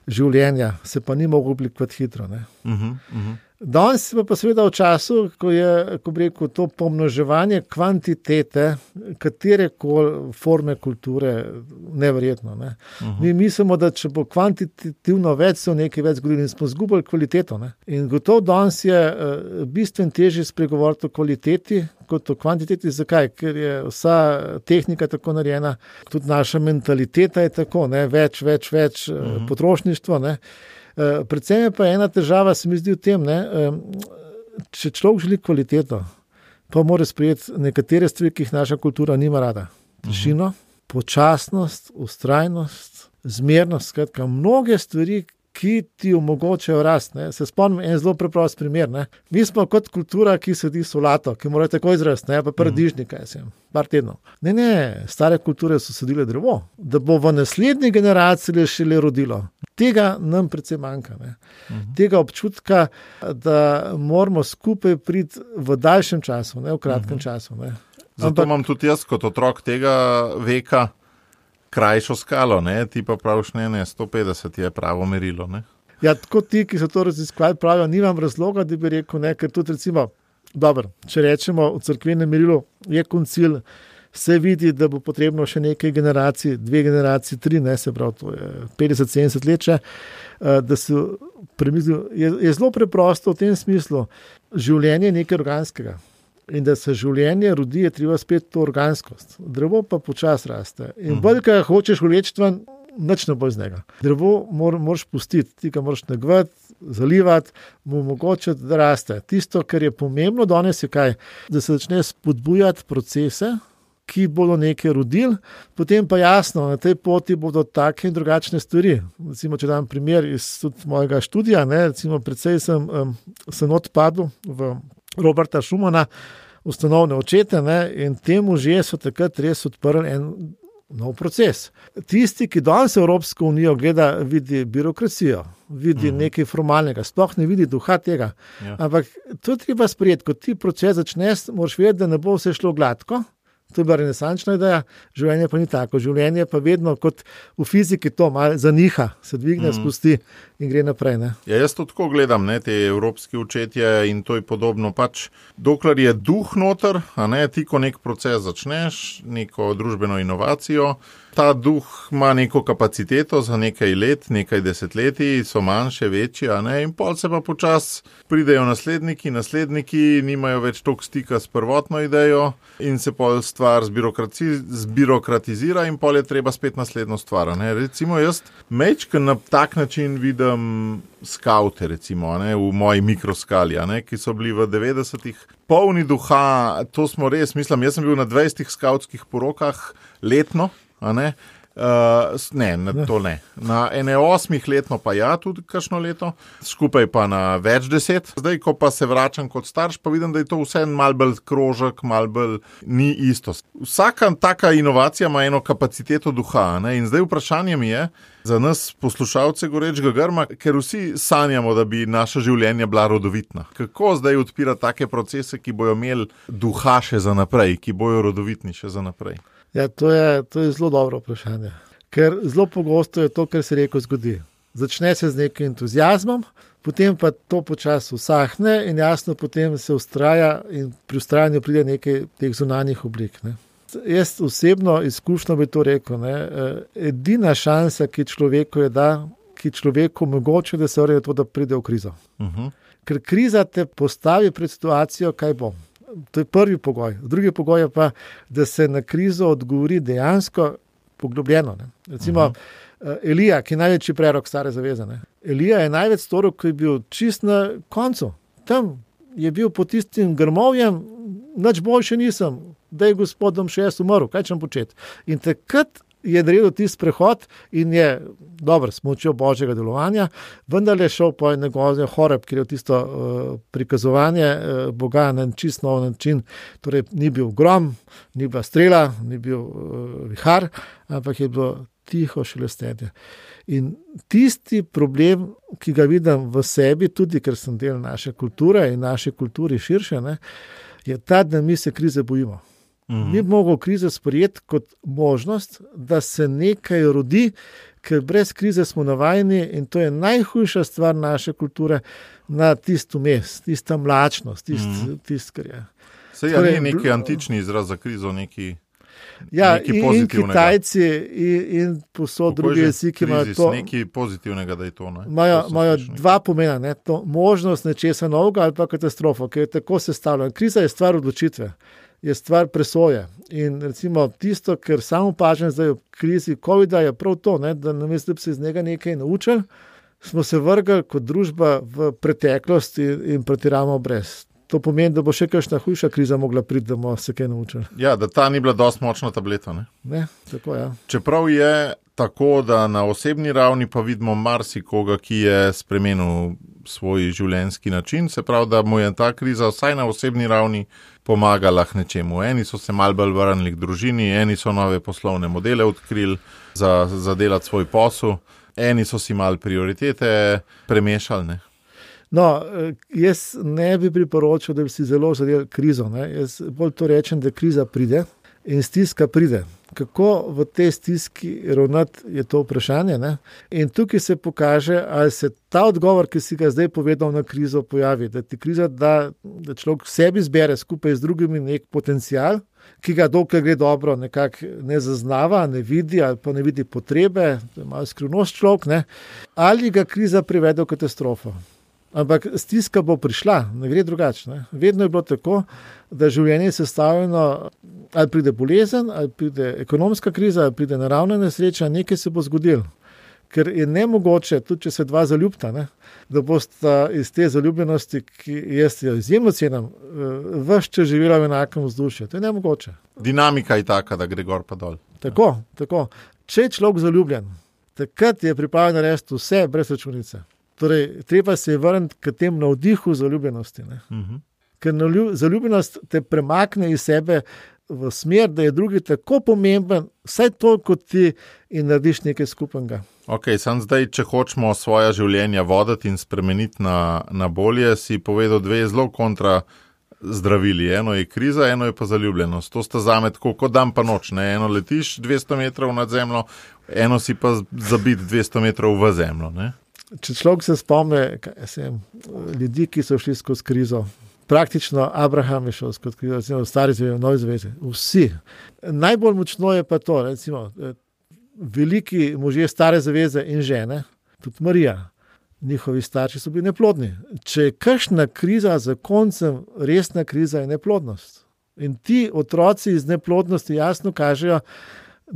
življenja se pa ni mogel oblikovati hitro. Ne. Uh-huh, uh-huh. Danes pa, pa seveda v času, ko je, ko bi rekel, to pomnoževanje kvantitete, katerekoli forme kulture, neverjetno. Ne. Uh-huh. Mi mislimo, da če bo kvantitativno več, se v nekaj več zgodili in smo zgubili kvaliteto. Ne. In gotovo danes je uh, bistveno težje spregovoriti o kvaliteti, kot o kvantiteti. Zakaj? Ker je vsa tehnika tako narejena, tudi naša mentaliteta je tako, ne? več, več, več uh-huh. potrošništvo. Ne? Uh, predvsem je pa ena težava, se mi zdi v tem, ne? Uh, če človek želi kvaliteto, pa mora sprejeti nekatere stvari, ki jih naša kultura nima rada. Tišino, uh-huh. počasnost, ustrajnost, zmernost, skratka, mnoge stvari, ki ti omogočajo rast. Ne. Se spomnim en zelo preprost primer. Ne. Mi smo kot kultura, ki sedi solato, ki mora tako izrasti, ne, pa paradižnik, kaj sem, par tednov. Ne, ne, stare kulture so sadile drevo, da bo v naslednji generaciji šele rodilo. Tega nam predvsem manjka. Ne. Uh-huh. Tega občutka, da moramo skupaj priti v daljšem času, ne v kratkem uh-huh. času. Ne. Zato Ampak... imam tudi jaz kot otrok tega veka krajšo skalo, ne? Ti pa praviš, ne, ne, sto petdeset je pravo merilo, ne? Ja, tako ti, ki so to raziskovali, pravijo, nimam razloga, da bi rekel, ne, ker tudi recimo, dobro, če rečemo v cerkvenem merilu, je koncil se vidi, da bo potrebno še nekaj generacij, dve generaciji, tri, ne, se pravi, to je petdeset sedemdeset let še, da se premisli. Je, je zelo preprosto v tem smislu, življenje je nekaj organskega. In da se življenje rodi, je treba spet to organskost. Drevo pa počas raste. In bolj, kaj hočeš vleči ven, nič ne bo iz njega. Drevo mor, moraš pustiti, ti ga moraš negovati, zalivati, mu omogočiti, da raste. Tisto, kar je pomembno danes, je kaj? Da se začne spodbujati procese, ki bodo nekaj rodili, potem pa jasno, na tej poti bodo take in drugačne stvari. Recimo, če dam primer iz mojega študija, ne, recimo, predvsej sem, um, sem odpadel v Roberta Schumana, ustanovne očete, ne, in temu že so takrat res odprli en nov proces. Tisti, ki danes Evropsko unijo gleda, vidi birokracijo, vidi mm. nekaj formalnega, sploh ne vidi duha tega. Ja. Ampak to je treba sprejeti, ko ti proces začneš, moraš vedeti, da ne bo vse šlo gladko. To je bila renesančna ideja, življenje pa ni tako. Življenje pa vedno kot v fiziki to malo zaniha, se dvigne, mm. spusti in gre naprej. Ne? Ja, jaz to tako gledam, ne, te evropski očetje in to je podobno. Pač, dokler je duh noter, a ne, ti ko nek proces začneš, neko družbeno inovacijo, ta duh ima neko kapaciteto za nekaj let, nekaj desetletij, so manjše, večje, a ne, in pol se pa počas pridejo nasledniki, nasledniki nimajo več toliko stika s prvotno idejo in se pol stvar zbirokratizira in pol je treba spet naslednjo stvar. Ne. Recimo jaz mečken na tak način vidim skavte, recimo, ne, v moji mikroskali, a ne, ki so bili v devetdesetih polni duha, to smo res, mislim, jaz sem bil na dvajsetih skavtskih porokah letno, a ne, uh, ne, na, to ne. Na ene osmih letno pa ja, tudi kakšno leto, skupaj pa na več deset. Zdaj, ko pa se vračam kot starš, pa vidim, da je to vse malo bolj krožek, malo bolj ni isto. Vsaka taka inovacija ima eno kapaciteto duha, ne, in zdaj vprašanje mi je, za nas poslušalce Gorečega grma, ker vsi sanjamo, da bi naša življenja bila rodovitna. Kako zdaj odpira take procese, ki bojo imeli duha še za naprej, ki bojo rodovitni še za naprej? Ja, to je, to je zelo dobro vprašanje. Ker zelo pogosto je to, kar se reko zgodi. Začne se z nekim entuzijazmom, potem pa to počasi usahne in jasno potem se ustraja in pri ustrajanju pride nekaj teh zunanjih oblik. Ne. Jaz osebno izkušnjo bi to rekel. Ne. Edina šansa, ki človeku je da, ki človeku omogoča, da se vrne to, da pride v krizo. Uh-huh. Ker kriza te postavi pred situacijo, kaj bom. To je prvi pogoj. Drugi pogoj je pa, da se na krizo odgovori dejansko poglobljeno. Ne. Recimo uh-huh. Elija, ki je največji prerok Stare zaveze. Ne. Elija je največ storil, ko je bil čist na koncu. Tam je bil pod tistim grmovjem, nič boljše nisem, da je gospodom še jaz umrl, kaj čem početi. In takrat je naredil tisti prehod in je, dobro, s pomočjo božjega delovanja, vendar je šel po njegov Horeb, kjer je tisto uh, prikazovanje uh, Boga na čist nov način. Torej, ni bil grom, ni bila strela, ni bil uh, vihar, ampak je bilo tiho šelestenje. In tisti problem, ki ga vidim v sebi, tudi ker sem del naše kulture in naše kulturi širše, ne, je ta, da mi se krize bojimo. Mm-hmm. Mi bomo krizo sprejeti kot možnost, da se nekaj rodi, ker brez krize smo navajeni in to je najhujša stvar naše kulture na tisto mes, tista mlačnost, tist, mm-hmm. tist, kar je. Sej je torej, neki antični izraz za krizo, neki, ja, neki in, pozitivnega. In Kitajci in, in posod drugi jeziki imajo to. Nekaj pozitivnega, da je to. Imajo dva pomena, ne, to možnost nečesa novega ali pa katastrofo, ker je tako sestavljeno. Kriza je stvar odločitve. Je stvar presoje. In recimo tisto, kar samo opažam zdaj v krizi covida, je prav to, ne, da namesto, da bi se iz njega nekaj naučili, smo se vrgli kot družba v preteklost in, in pretiravamo brez. To pomeni, da bo še kakšna hujša kriza mogla priti, da bomo se kaj naučili. Ja, da ta ni bila dosti močna tableta. Ne? Ne, tako ja. Čeprav je tako, da na osebni ravni pa vidimo marsikoga, ki je spremenil svoj življenjski način, se pravi, da mu je ta kriza vsaj na osebni ravni pomagala k nečemu. Eni so se malo bolj vrnili k družini, eni so nove poslovne modele odkrili za, za delati svoj posel, eni so si malo prioritete premešali, ne? No, jaz ne bi priporočil, da bi si zelo zadel krizo. Ne? Jaz bolj to rečem, da kriza pride in stiska pride. kako v tej stiski ravnati, je to vprašanje. Ne? In tukaj se pokaže, ali se ta odgovor, ki si ga zdaj povedal na krizo, pojavi. Da ti kriza da, da človek sebi zbere skupaj z drugimi nek potencial, ki ga dokler gre dobro nekako ne zaznava, ne vidi ali pa ne vidi potrebe, to je malo skrivnost človek, ne? Ali ga kriza privede v katastrofo. Ampak stiska bo prišla, ne gre drugače. Ne? Vedno je bilo tako, da življenje je sestavljeno, ali pride bolezen, ali pride ekonomska kriza, ali pride naravna nesreča, nekaj se bo zgodilo. Ker je nemogoče, tudi če se dva zaljubita, ne, da bosta iz te zaljubljenosti, ki jaz jo izjemno cenim, ves čas živela v enakem vzdušju. To je nemogoče. Dinamika je taka, da gre gor pa dol. Tako, tako. Če je človek zaljubljen, takrat je pripravljen narediti vse brez računice. Torej, treba se je vrniti k tem navdihu zaljubljenosti. Ne. Uh-huh. Ker zaljubljenost te premakne iz sebe v smer, da je drugi tako pomemben, vsaj to, kot ti, in narediš nekaj skupnega. Ok, sam zdaj, če hočemo svoja življenja voditi in spremeniti na, na bolje, si povedal dve zelo kontra zdravili. Eno je kriza, eno je pa zaljubljenost. To sta zame tako kot dan pa noč. Ne? Eno letiš dvesto metrov nad zemljo, eno si pa zabit dvesto metrov v zemljo. Ne? Če človek se spomne, kaj sem, ljudi, ki so šli skozi krizo, praktično Abraham je šel skozi krizo, recimo v stari zvezi, v novi zvezi, vsi. Najbolj močno je pa to, recimo, veliki možje stare zaveze in žene, tudi Marija, njihovi starši so bili neplodni. Če je kakšna kriza za koncem, resna kriza je neplodnost. In ti otroci iz neplodnosti jasno kažejo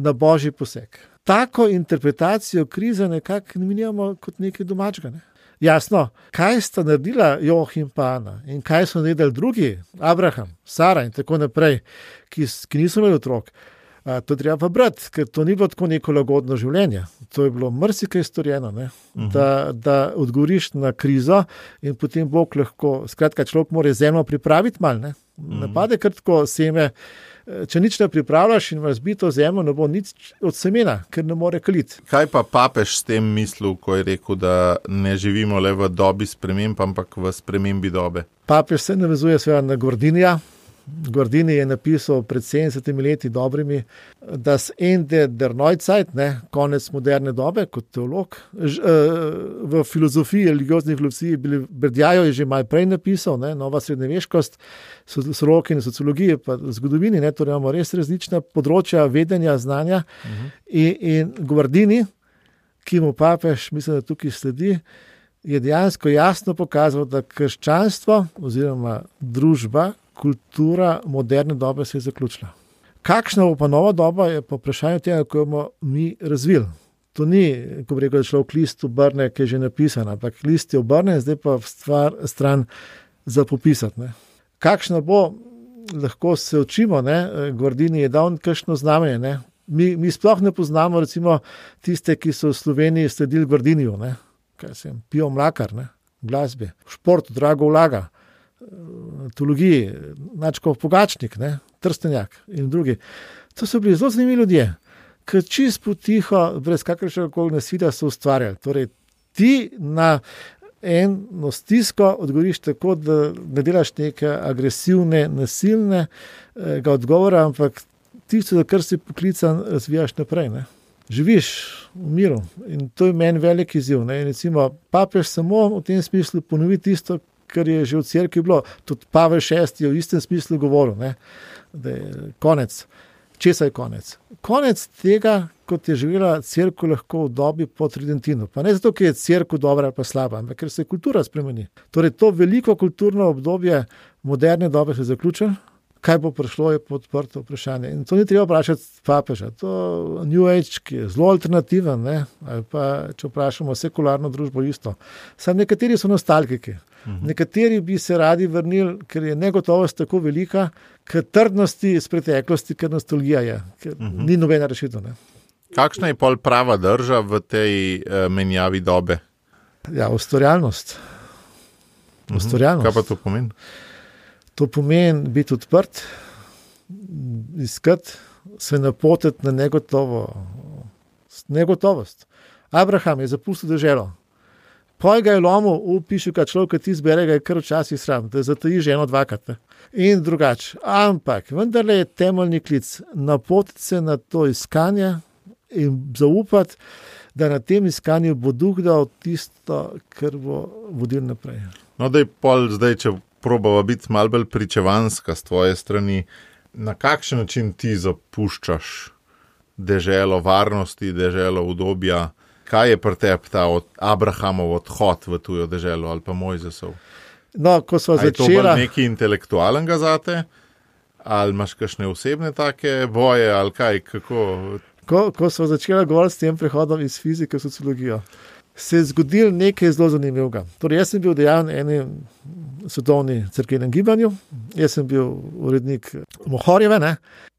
na božji poseg. Tako interpretacijo krize nekako minjamo kot nekaj domačega. Ne? Jasno, kaj sta naredila Joh in pa Ana in kaj so naredili drugi, Abraham, Sara in tako naprej, ki, ki niso imeli otrok. A, to treba pa brati, ker to ni bilo tako neko lagodno življenje. To je bilo marsikaj storjeno, ne? Uh-huh. da, da odgovoriš na krizo in potem Bog lahko, skratka, človek mora zemljo pripraviti mal, ne? Uh-huh. Napade kar tako seme. Če nič ne pripravljaš in imaš zbito zemljo, ne bo nič od semena, ker ne more kaliti. Kaj pa papež s tem mislil, ko je rekel, da ne živimo le v dobi sprememb, ampak v spremembi dobe? Papež se navezuje seveda na Guardinija. Guardini je napisal pred sedemdesetimi leti dobrimi, das Ende der Neuzeit, ne, konec moderne dobe, kot teolog. V filozofiji, religiozni filozofiji, Berdjajo je že malo prej napisal, ne, nova srednjeveškost, soroki in sociologije, pa zgodovini, ne, torej imamo res različna področja vedenja, znanja. Uh-huh. In, in Guardini, ki mu papež, mislim, da tukaj sledi, je dejansko jasno pokazal, da krščanstvo oziroma družba, kultura moderne dobe se je zaključila. Kakšna bo pa nova doba, je pa vprašanje tega, ko jo bomo mi razvili. To ni, ko bi rekel, da človek list obrne, ki je že napisan, ampak list je obrne, zdaj pa stvar stran za popisati. Ne. Kakšna bo, lahko se učimo, ne. Guardini je dal kakšno znamenje. Ne. Mi, mi sploh ne poznamo recimo tiste, ki so v Sloveniji sledili Guardiniju, ne. Kaj sem, Pijo Mlakar, ne, glasbi, šport, drago vlaga, teologiji, Načkov Pogačnik, ne, Trstenjak in drugi. To so bili zelo zanimivi ljudje, ki čist potiho, brez kakršnega nasilja so ustvarjali. Torej, ti na eno stisko odgovoriš tako, da ne delaš neke agresivne, nasilne ga odgovora, ampak tisto, za kar si poklican, razvijaš naprej. Ne. Živiš v miru in to je meni velik izziv. Ne. In recimo, papež samo v tem smislu ponovi tisto, kar je že v cerkvi bilo. Tudi Pavel šesti je v istem smislu govoril, ne, da je konec. Česa je konec? Konec tega, kot je živela cerkev lahko v dobi po Tridentinu. Pa ne zato, ker je cerkev dobra ali pa slaba, ampak ker se kultura spremeni. Torej, to veliko kulturno obdobje moderne dobe se je zaključilo. Kaj bo prišlo, je podprto vprašanje. In to ni treba vprašati papeža. To New Age, ki je zelo alternativen, ne? Ali pa, če vprašamo sekularno družbo, isto. Samo nekateri so nostalgiki. Uh-huh. Nekateri bi se radi vrnili, ker je negotovost tako velika, ker trdnosti iz preteklosti, ker nostalgija je. Ker uh-huh. ni nobena rešitev. Ne? Kakšna je pol prava drža v tej uh, menjavi dobe? Ja, ustvarjalnost. Uh-huh. Ustvarjalnost. Kaj pa to pomeni? To pomeni biti odprt, iskati, se napotiti na negotovo, negotovost. Abraham je zapustil deželo, ko ga je lomil, upišu, kad človek ti zbere, ga je kar včasih sram, da zatoji že eno dvakrat. Ne? In drugače. Ampak vendarle je temeljni klic napotiti se na to iskanje in zaupati, da na tem iskanju bo duh dal tisto, kar bo vodil naprej. No, da je pol zdaj, če probava biti malo bolj pričevanska s tvoje strani, na kakšen način ti zapuščaš deželo varnosti, deželo udobja? Kaj je pri tebi ta od Abrahamov odhod v tujo deželo ali pa Mojzesov? No, ko sva začela... Je to začela... bolj nekaj intelektualnega zate? Ali imaš kakšne osebne take boje ali kaj, kako... Ko, ko sva začela govoriti s tem prehodom iz fizike v sociologijo, se je zgodil nekaj zelo zanimivega. Torej, jaz sem bil dejan v enem svetovni cerkvenem gibanju, jaz sem bil urednik Mohorjeve, ne?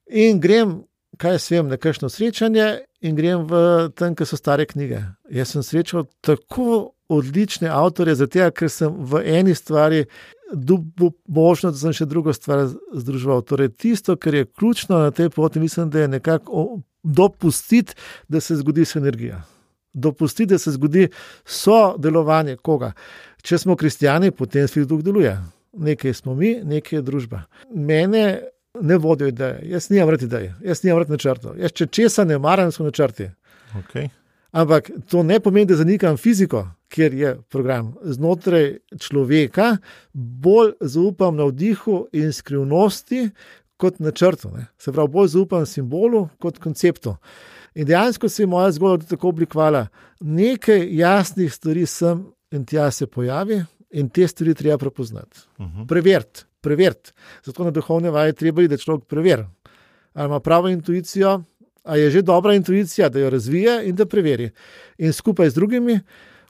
In grem, kaj jaz vem, na kakšno srečanje in grem v tam, kjer so stare knjige. Jaz sem srečal tako odlične avtorje, zato ker sem v eni stvari dobil možnost, da sem še drugo stvar združeval. Torej, tisto, kar je ključno na tej poti, mislim, da je nekako dopustiti, da se zgodi sinergija. Dopustiti, da se zgodi sodelovanje koga. Če smo kristijani, potem svet duh deluje. Nekaj smo mi, nekaj je družba. Mene ne vodijo ideje. Jaz nimam rad ideje. Jaz nimam rad načrtov. Jaz če česa ne maram, so načrti. Okay. Ampak to ne pomeni, da zanikam fiziko, kjer je program. Znotraj človeka bolj zaupam na vdihu in skrivnosti kot načrtu. Ne. Se pravi, bolj zaupam simbolu kot konceptu. In dejansko se je moja zgodba tako oblikovala. Nekaj jasnih stvari sem in tja se pojavi in te stvari treba prepoznati. Uh-huh. Preveriti, preveriti. Zato na duhovne vaje treba iti, da človek preveri. Ali ima pravo intuicijo, a je že dobra intuicija, da jo razvije in da preveri. In skupaj z drugimi,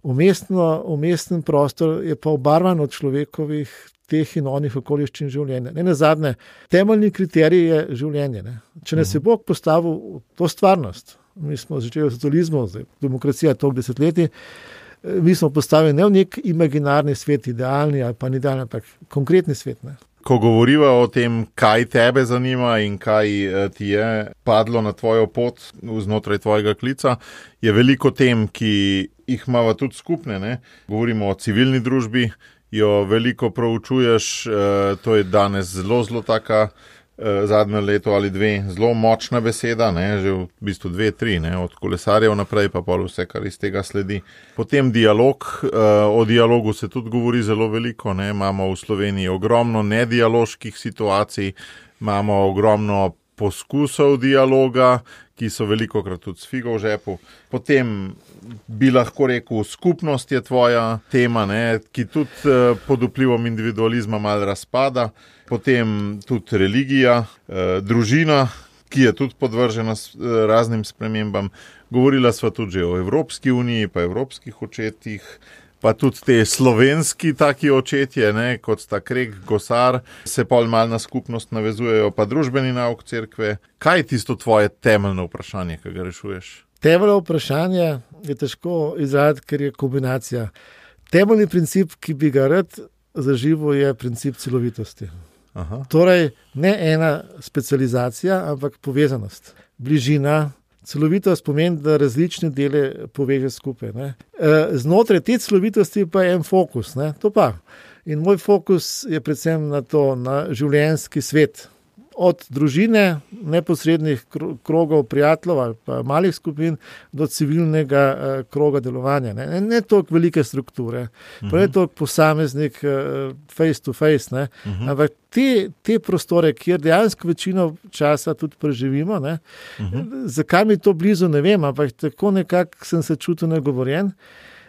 umestno, umesten prostor je pa obarvan od človekovih teh in onih okoliščin življenja. Ne nazadnje, temeljni kriterij je življenje. Ne? Če nas je Bog postavil to stvarnost, mi smo začeli v socializmu, demokracija toliko desetletij, mi smo postavili ne v nek imaginarni svet, idealni ali pa ni idealni, ampak konkretni svet. Ne? Ko govoriva o tem, kaj tebe zanima in kaj ti je padlo na tvojo pot znotraj tvojega klica, je veliko tem, ki jih imava tudi skupne. Ne? Govorimo o civilni družbi, jo veliko proučuješ, to je danes zelo, zelo taka zadnje leto ali dve, zelo močna beseda, ne? Že v bistvu dve, tri, ne? Od kolesarjev naprej pa pol vse, kar iz tega sledi. Potem dialog, o dialogu se tudi govori zelo veliko, ne? Imamo v Sloveniji ogromno nedialoških situacij, imamo ogromno poskusov dialoga, ki so velikokrat tudi s figo v žepu. Potem bi lahko rekel, skupnost je tvoja tema, ne, ki tudi eh, pod vplivom individualizma malo razpada. Potem tudi religija, eh, družina, ki je tudi podvržena s, eh, raznim spremembam. Govorila sva tudi že o Evropski uniji, pa evropskih očetih, pa tudi te slovenski taki očetje, ne, kot sta Krek, Gosar, se pol mal na skupnost navezujejo, pa družbeni nauk cerkve. Kaj je tisto tvoje temeljno vprašanje, ki ga rešuješ? Temeljno vprašanje je težko izraziti, ker je kombinacija. Temeljni princip, ki bi ga rad zaživel, je princip celovitosti. Aha. Torej, ne ena specializacija, ampak povezanost, bližina. Celovitost pomeni, da različne dele poveže skupaj. Ne. Znotraj te celovitosti pa je en fokus. Ne. To pa. In moj fokus je predvsem na to, na življenjski svet. Od družine, neposrednih krogov prijateljev ali pa malih skupin do civilnega uh, kroga delovanja. Ne, ne, ne toliko velike strukture, uh-huh. pa ne toliko posameznik uh, face to face, ne, uh-huh. ampak te, te prostore, kjer dejansko večino časa tudi preživimo, ne, uh-huh. zakaj mi to blizu, ne vem, ampak tako nekako sem se čutil nagovorjen.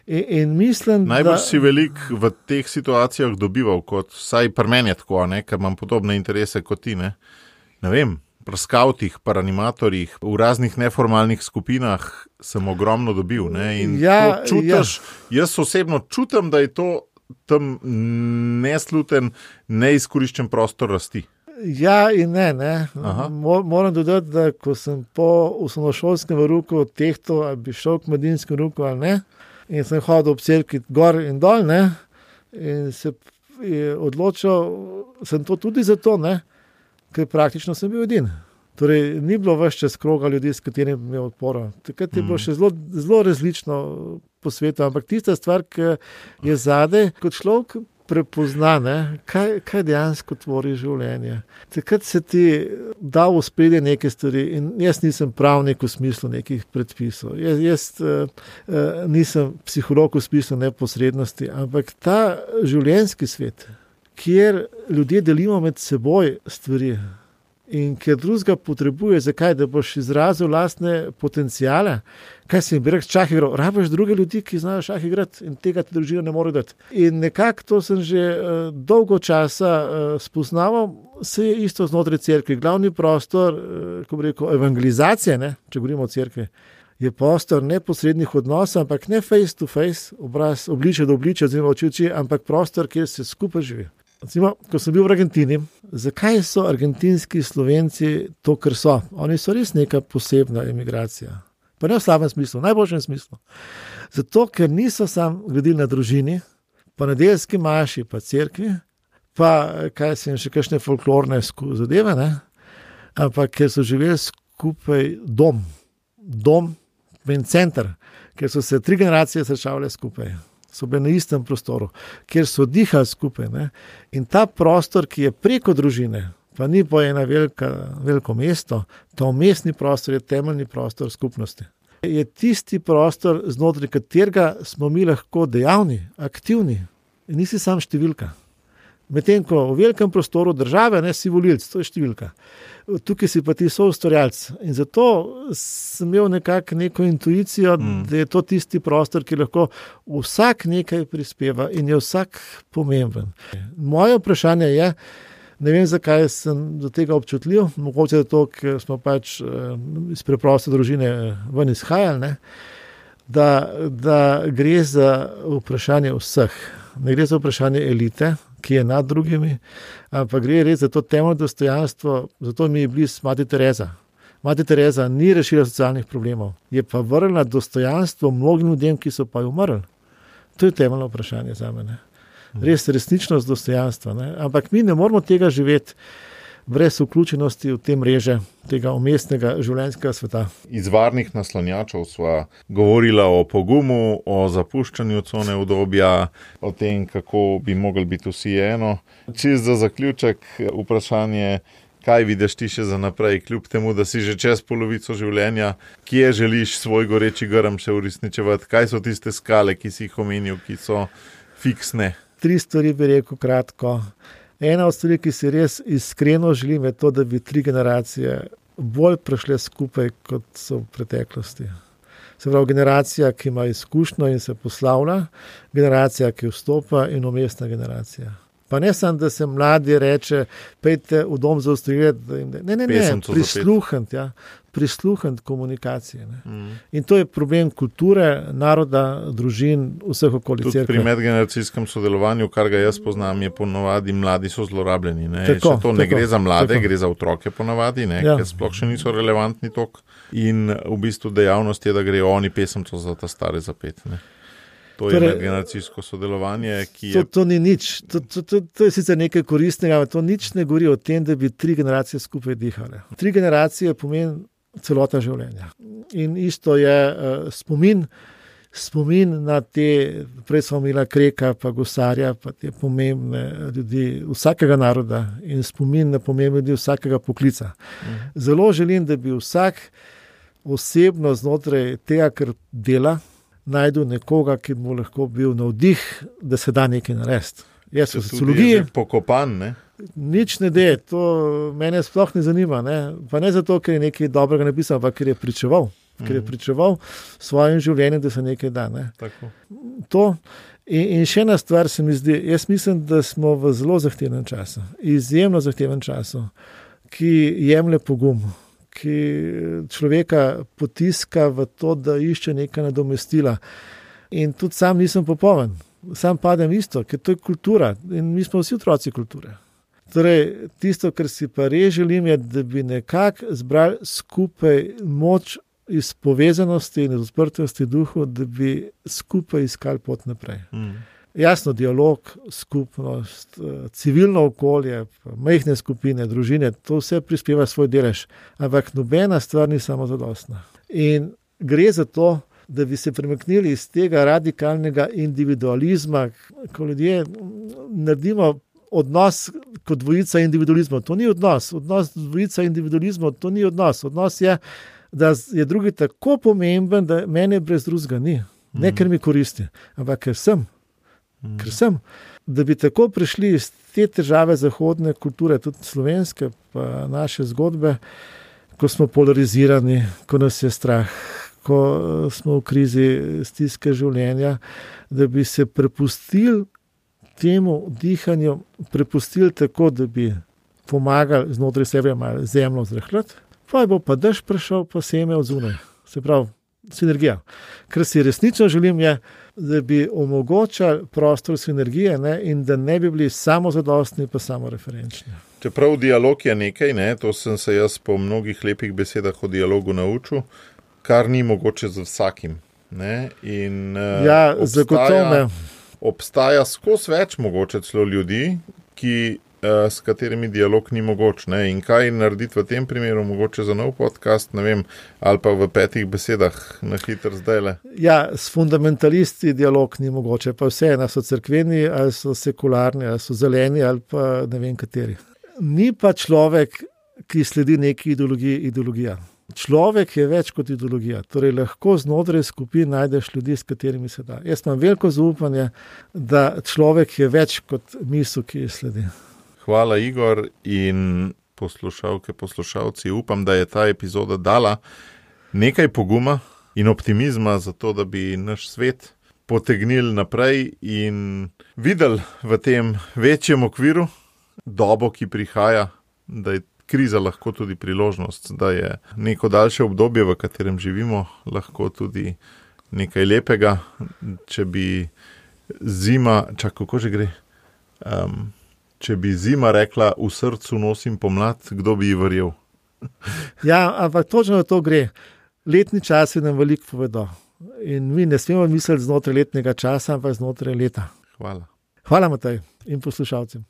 In, in mislim, Najbolj da... si velik v teh situacijah dobival, kot vsaj pri meni je tako, ne, ker imam podobne interese kot ti. Ne, ne vem, pri skavtih, pri animatorjih, v raznih neformalnih skupinah sem ogromno dobil. Ne, in ja, to čutiš, ja. Jaz osebno čutim, da je to tam nesluten, neizkoriščen prostor rasti. Ja in ne, ne. Moram dodati, da ko sem po osnovnošolskem verouku tehtal, ali bi šel k mladinskem verouku ali ne, in sem hodil ob cerkvi gor in dol, ne, in se je odločil, sem to tudi zato, ne, ker praktično sem bil edin. Torej, ni bilo več čez kroga ljudi, s katerimi bi imel odporo. Takrat je bilo še zelo, zelo različno po svetu, ampak tista stvar, ki je zadaj, kot človek prepozna, ne, kaj, kaj dejansko tvori življenje. Takrat se ti da v spredje neke stvari in jaz nisem pravnik v smislu nekih predpisov. Jaz, jaz uh, uh, nisem psiholog v smislu neposrednosti, ampak ta življenjski svet, kjer ljudje delimo med seboj stvari, in ker drugega potrebuje, zakaj, da boš izrazil lastne potencijale, kaj si jim bi rekel, šah igral, rabiš druge ljudi, ki znajo šah igrati in tega ti družina ne more dati. In nekako to sem že uh, dolgo časa uh, spoznaval, se je isto znotraj cerkve. Glavni prostor, uh, ko bi rekel, evangelizacije, ne, če govorimo o cerkvi, je prostor neposrednih odnosov, ampak ne face to face, obraz, obliče do obliče, oziroma oči oči, ampak prostor, kjer se skupaj živi. Recimo, ko sem bil v Argentini, zakaj so argentinski Slovenci to, kar so? Oni so res neka posebna emigracija. Pa ne v slabem smislu, v najboljšem smislu. Zato, ker niso sam gledili na družini, pa nedeljski maši, pa cerkvi, pa kaj se jim še kakšne folklorne zadeve, ne? Ampak ker so živeli skupaj dom, dom in center, ker so se tri generacije srečavale skupaj. So bili na istem prostoru, kjer so dihali skupaj. Ne? In ta prostor, ki je preko družine, pa ni po ena velika, veliko mesto, ta umestni prostor je temeljni prostor skupnosti. Je tisti prostor, znotraj katerega smo mi lahko dejavni, aktivni in nisi sam številka. Medtem ko v velikem prostoru države ne si volilc, to je številka. Tukaj si pa ti soustvarjalec. In zato sem imel nekako neko intuicijo, mm. da je to tisti prostor, ki lahko vsak nekaj prispeva in je vsak pomemben. Moje vprašanje je, ne vem, zakaj sem do tega občutljiv, mogoče zato, ker smo pač iz preproste družine ven izhajali, ne? Da, da gre za vprašanje vseh. Ne gre za vprašanje elite, ki je nad drugimi, ampak gre res za to temeljno dostojanstvo, zato mi je blizu Mati Tereza. Mati Tereza ni rešila socialnih problemov, je pa vrnila dostojanstvo mnogim ljudem, ki so pa jo umrli. To je temeljno vprašanje za mene. Res resničnost dostojanstva. Ne? Ampak mi ne moramo tega živeti brez vključenosti v te mreže tega umestnega življenjskega sveta. Iz varnih naslonjačev sva govorila o pogumu, o zapuščanju cone udobja, o tem, kako bi mogli biti vsi eno. Čisto za zaključek vprašanje, kaj vidiš ti še za naprej, kljub temu, da si že čez polovico življenja, kje želiš svoj goreči grm še uresničevati, kaj so tiste skale, ki si jih omenil, ki so fiksne? Tri stvari bi rekel kratko. Ena od stvari, ki si res iskreno želim, je to, da bi tri generacije bolj prešle skupaj, kot so v preteklosti. Se pravi, generacija, ki ima izkušnjo in se poslavlja, generacija, ki vstopa in umestna generacija. Pa ne samo, da se mladi reče, pejte v dom za ustvarjati. Ne, ne, ne, prisluhant, ja, prisluhant komunikacije. Ne. Mm. In to je problem kulture, naroda, družin, vseh okoli cerkve. Tudi pri medgeneracijskem sodelovanju, kar ga jaz poznam, je ponovadi mladi so zlorabljeni. Ne. Tako, to ne tako, gre za mlade, tako. Gre za otroke ponovadi, ne, ja. Ker sploh še niso relevantni tok. In v bistvu dejavnost je, da grejo oni pesemco za ta stare zapet. Ne. To je torej, medgeneracijsko sodelovanje, ki je... To, to ni nič. To, to, to, to je sicer nekaj koristnega, ampak to nič ne govori o tem, da bi tri generacije skupaj dihale. Tri generacije pomeni celota življenja. In isto je uh, spomin, spomin na te, prej smo imela Kreka, pa Gosarja, pa te pomembne ljudi vsakega naroda in spomin na pomembne ljudi vsakega poklica. Mhm. Zelo želim, da bi vsak osebno znotraj tega, kar dela, najdu nekoga, ki mu lahko bil navdih, da se da nekaj narediti. Jaz v sociologiji pokopan, ne? Nič ne de, to mene sploh ne zanima, ne? Pa ne zato, ker je nekaj dobrega napisal, ampak ker je pričeval, mm. ker je pričeval svojim življenjem, da se nekaj da. Ne? Tako. To. In, in še ena stvar se mi zdi, jaz mislim, da smo v zelo zahtevnem času, izjemno zahtevnem času, ki jemlje pogum, ki človeka potiska v to, da išče neka nadomestila. In tudi sam nisem popoln, sam padem isto, ker to je kultura in mi smo vsi otroci kulture. Torej, tisto, kar si pa res želim, je, da bi nekako zbrali skupaj moč iz povezanosti in iz odprtosti duhu, da bi skupaj iskali pot naprej. Mm. Jasno, dialog, skupnost, civilno okolje, majhne skupine, družine, to vse prispeva svoj delež. Ampak nobena stvar ni samozadostna. In gre za to, da bi se premaknili iz tega radikalnega individualizma, ko ljudje naredimo odnos kot dvojica individualizma. To ni odnos. Odnos dvojica individualizma, to ni odnos. Odnos je, da je drugi tako pomemben, da mene brez drugega ni. Ne, ker mi koristi, ampak ker sem. Ker sem. Da bi tako prišli iz te težave zahodne kulture, tudi slovenske, pa naše zgodbe, ko smo polarizirani, ko nas je strah, ko smo v krizi stiske življenja, da bi se prepustili temu dihanju, prepustili tako, da bi pomagali znotraj sebe malo zemljo zrahljati, pa bo pa dež prišel, pa seme od zunaj. Se pravi, sinergija. Kar si resnično želim je, da bi omogočali prostor sinergije, ne, in da ne bi bili samozadostni pa samoreferenčni. Čeprav dialog je nekaj, ne, to sem se jaz po mnogih lepih besedah o dialogu naučil, kar ni mogoče z vsakim. Ne, in, uh, ja, obstaja, zagotovo. Obstaja skozi več mogoče celo ljudi, ki s katerimi dialog ni mogoč. Ne? In kaj narediti v tem primeru, mogoče za nov podcast, ne vem, ali pa v petih besedah na hitro zdajle? Ja, s fundamentalisti dialog ni mogoče, pa vse, ali so cerkveni, ali so sekularni, ali so zeleni, ali pa ne vem kateri. Ni pa človek, ki sledi neki ideologiji, ideologija. Človek je več kot ideologija, torej lahko znotraj skupin najdeš ljudi, s katerimi se da. Jaz imam veliko zaupanje, da človek je več kot misel, ki je sledi. Hvala, Igor, in poslušalke, poslušalci. Upam, da je ta epizoda dala nekaj poguma in optimizma za to, da bi naš svet potegnili naprej in videli v tem večjem okviru dobo, ki prihaja, da je kriza lahko tudi priložnost, da je neko daljše obdobje, v katerem živimo, lahko tudi nekaj lepega, če bi zima, čak, kako že gre, um, če bi zima rekla, v srcu nosim pomlad, kdo bi ji verjel? Ja, ampak točno to gre. Letni časi nam veliko povedo. In mi ne smemo misliti znotraj letnega časa, ampak znotraj leta. Hvala. Hvala, Matej, in poslušalcem.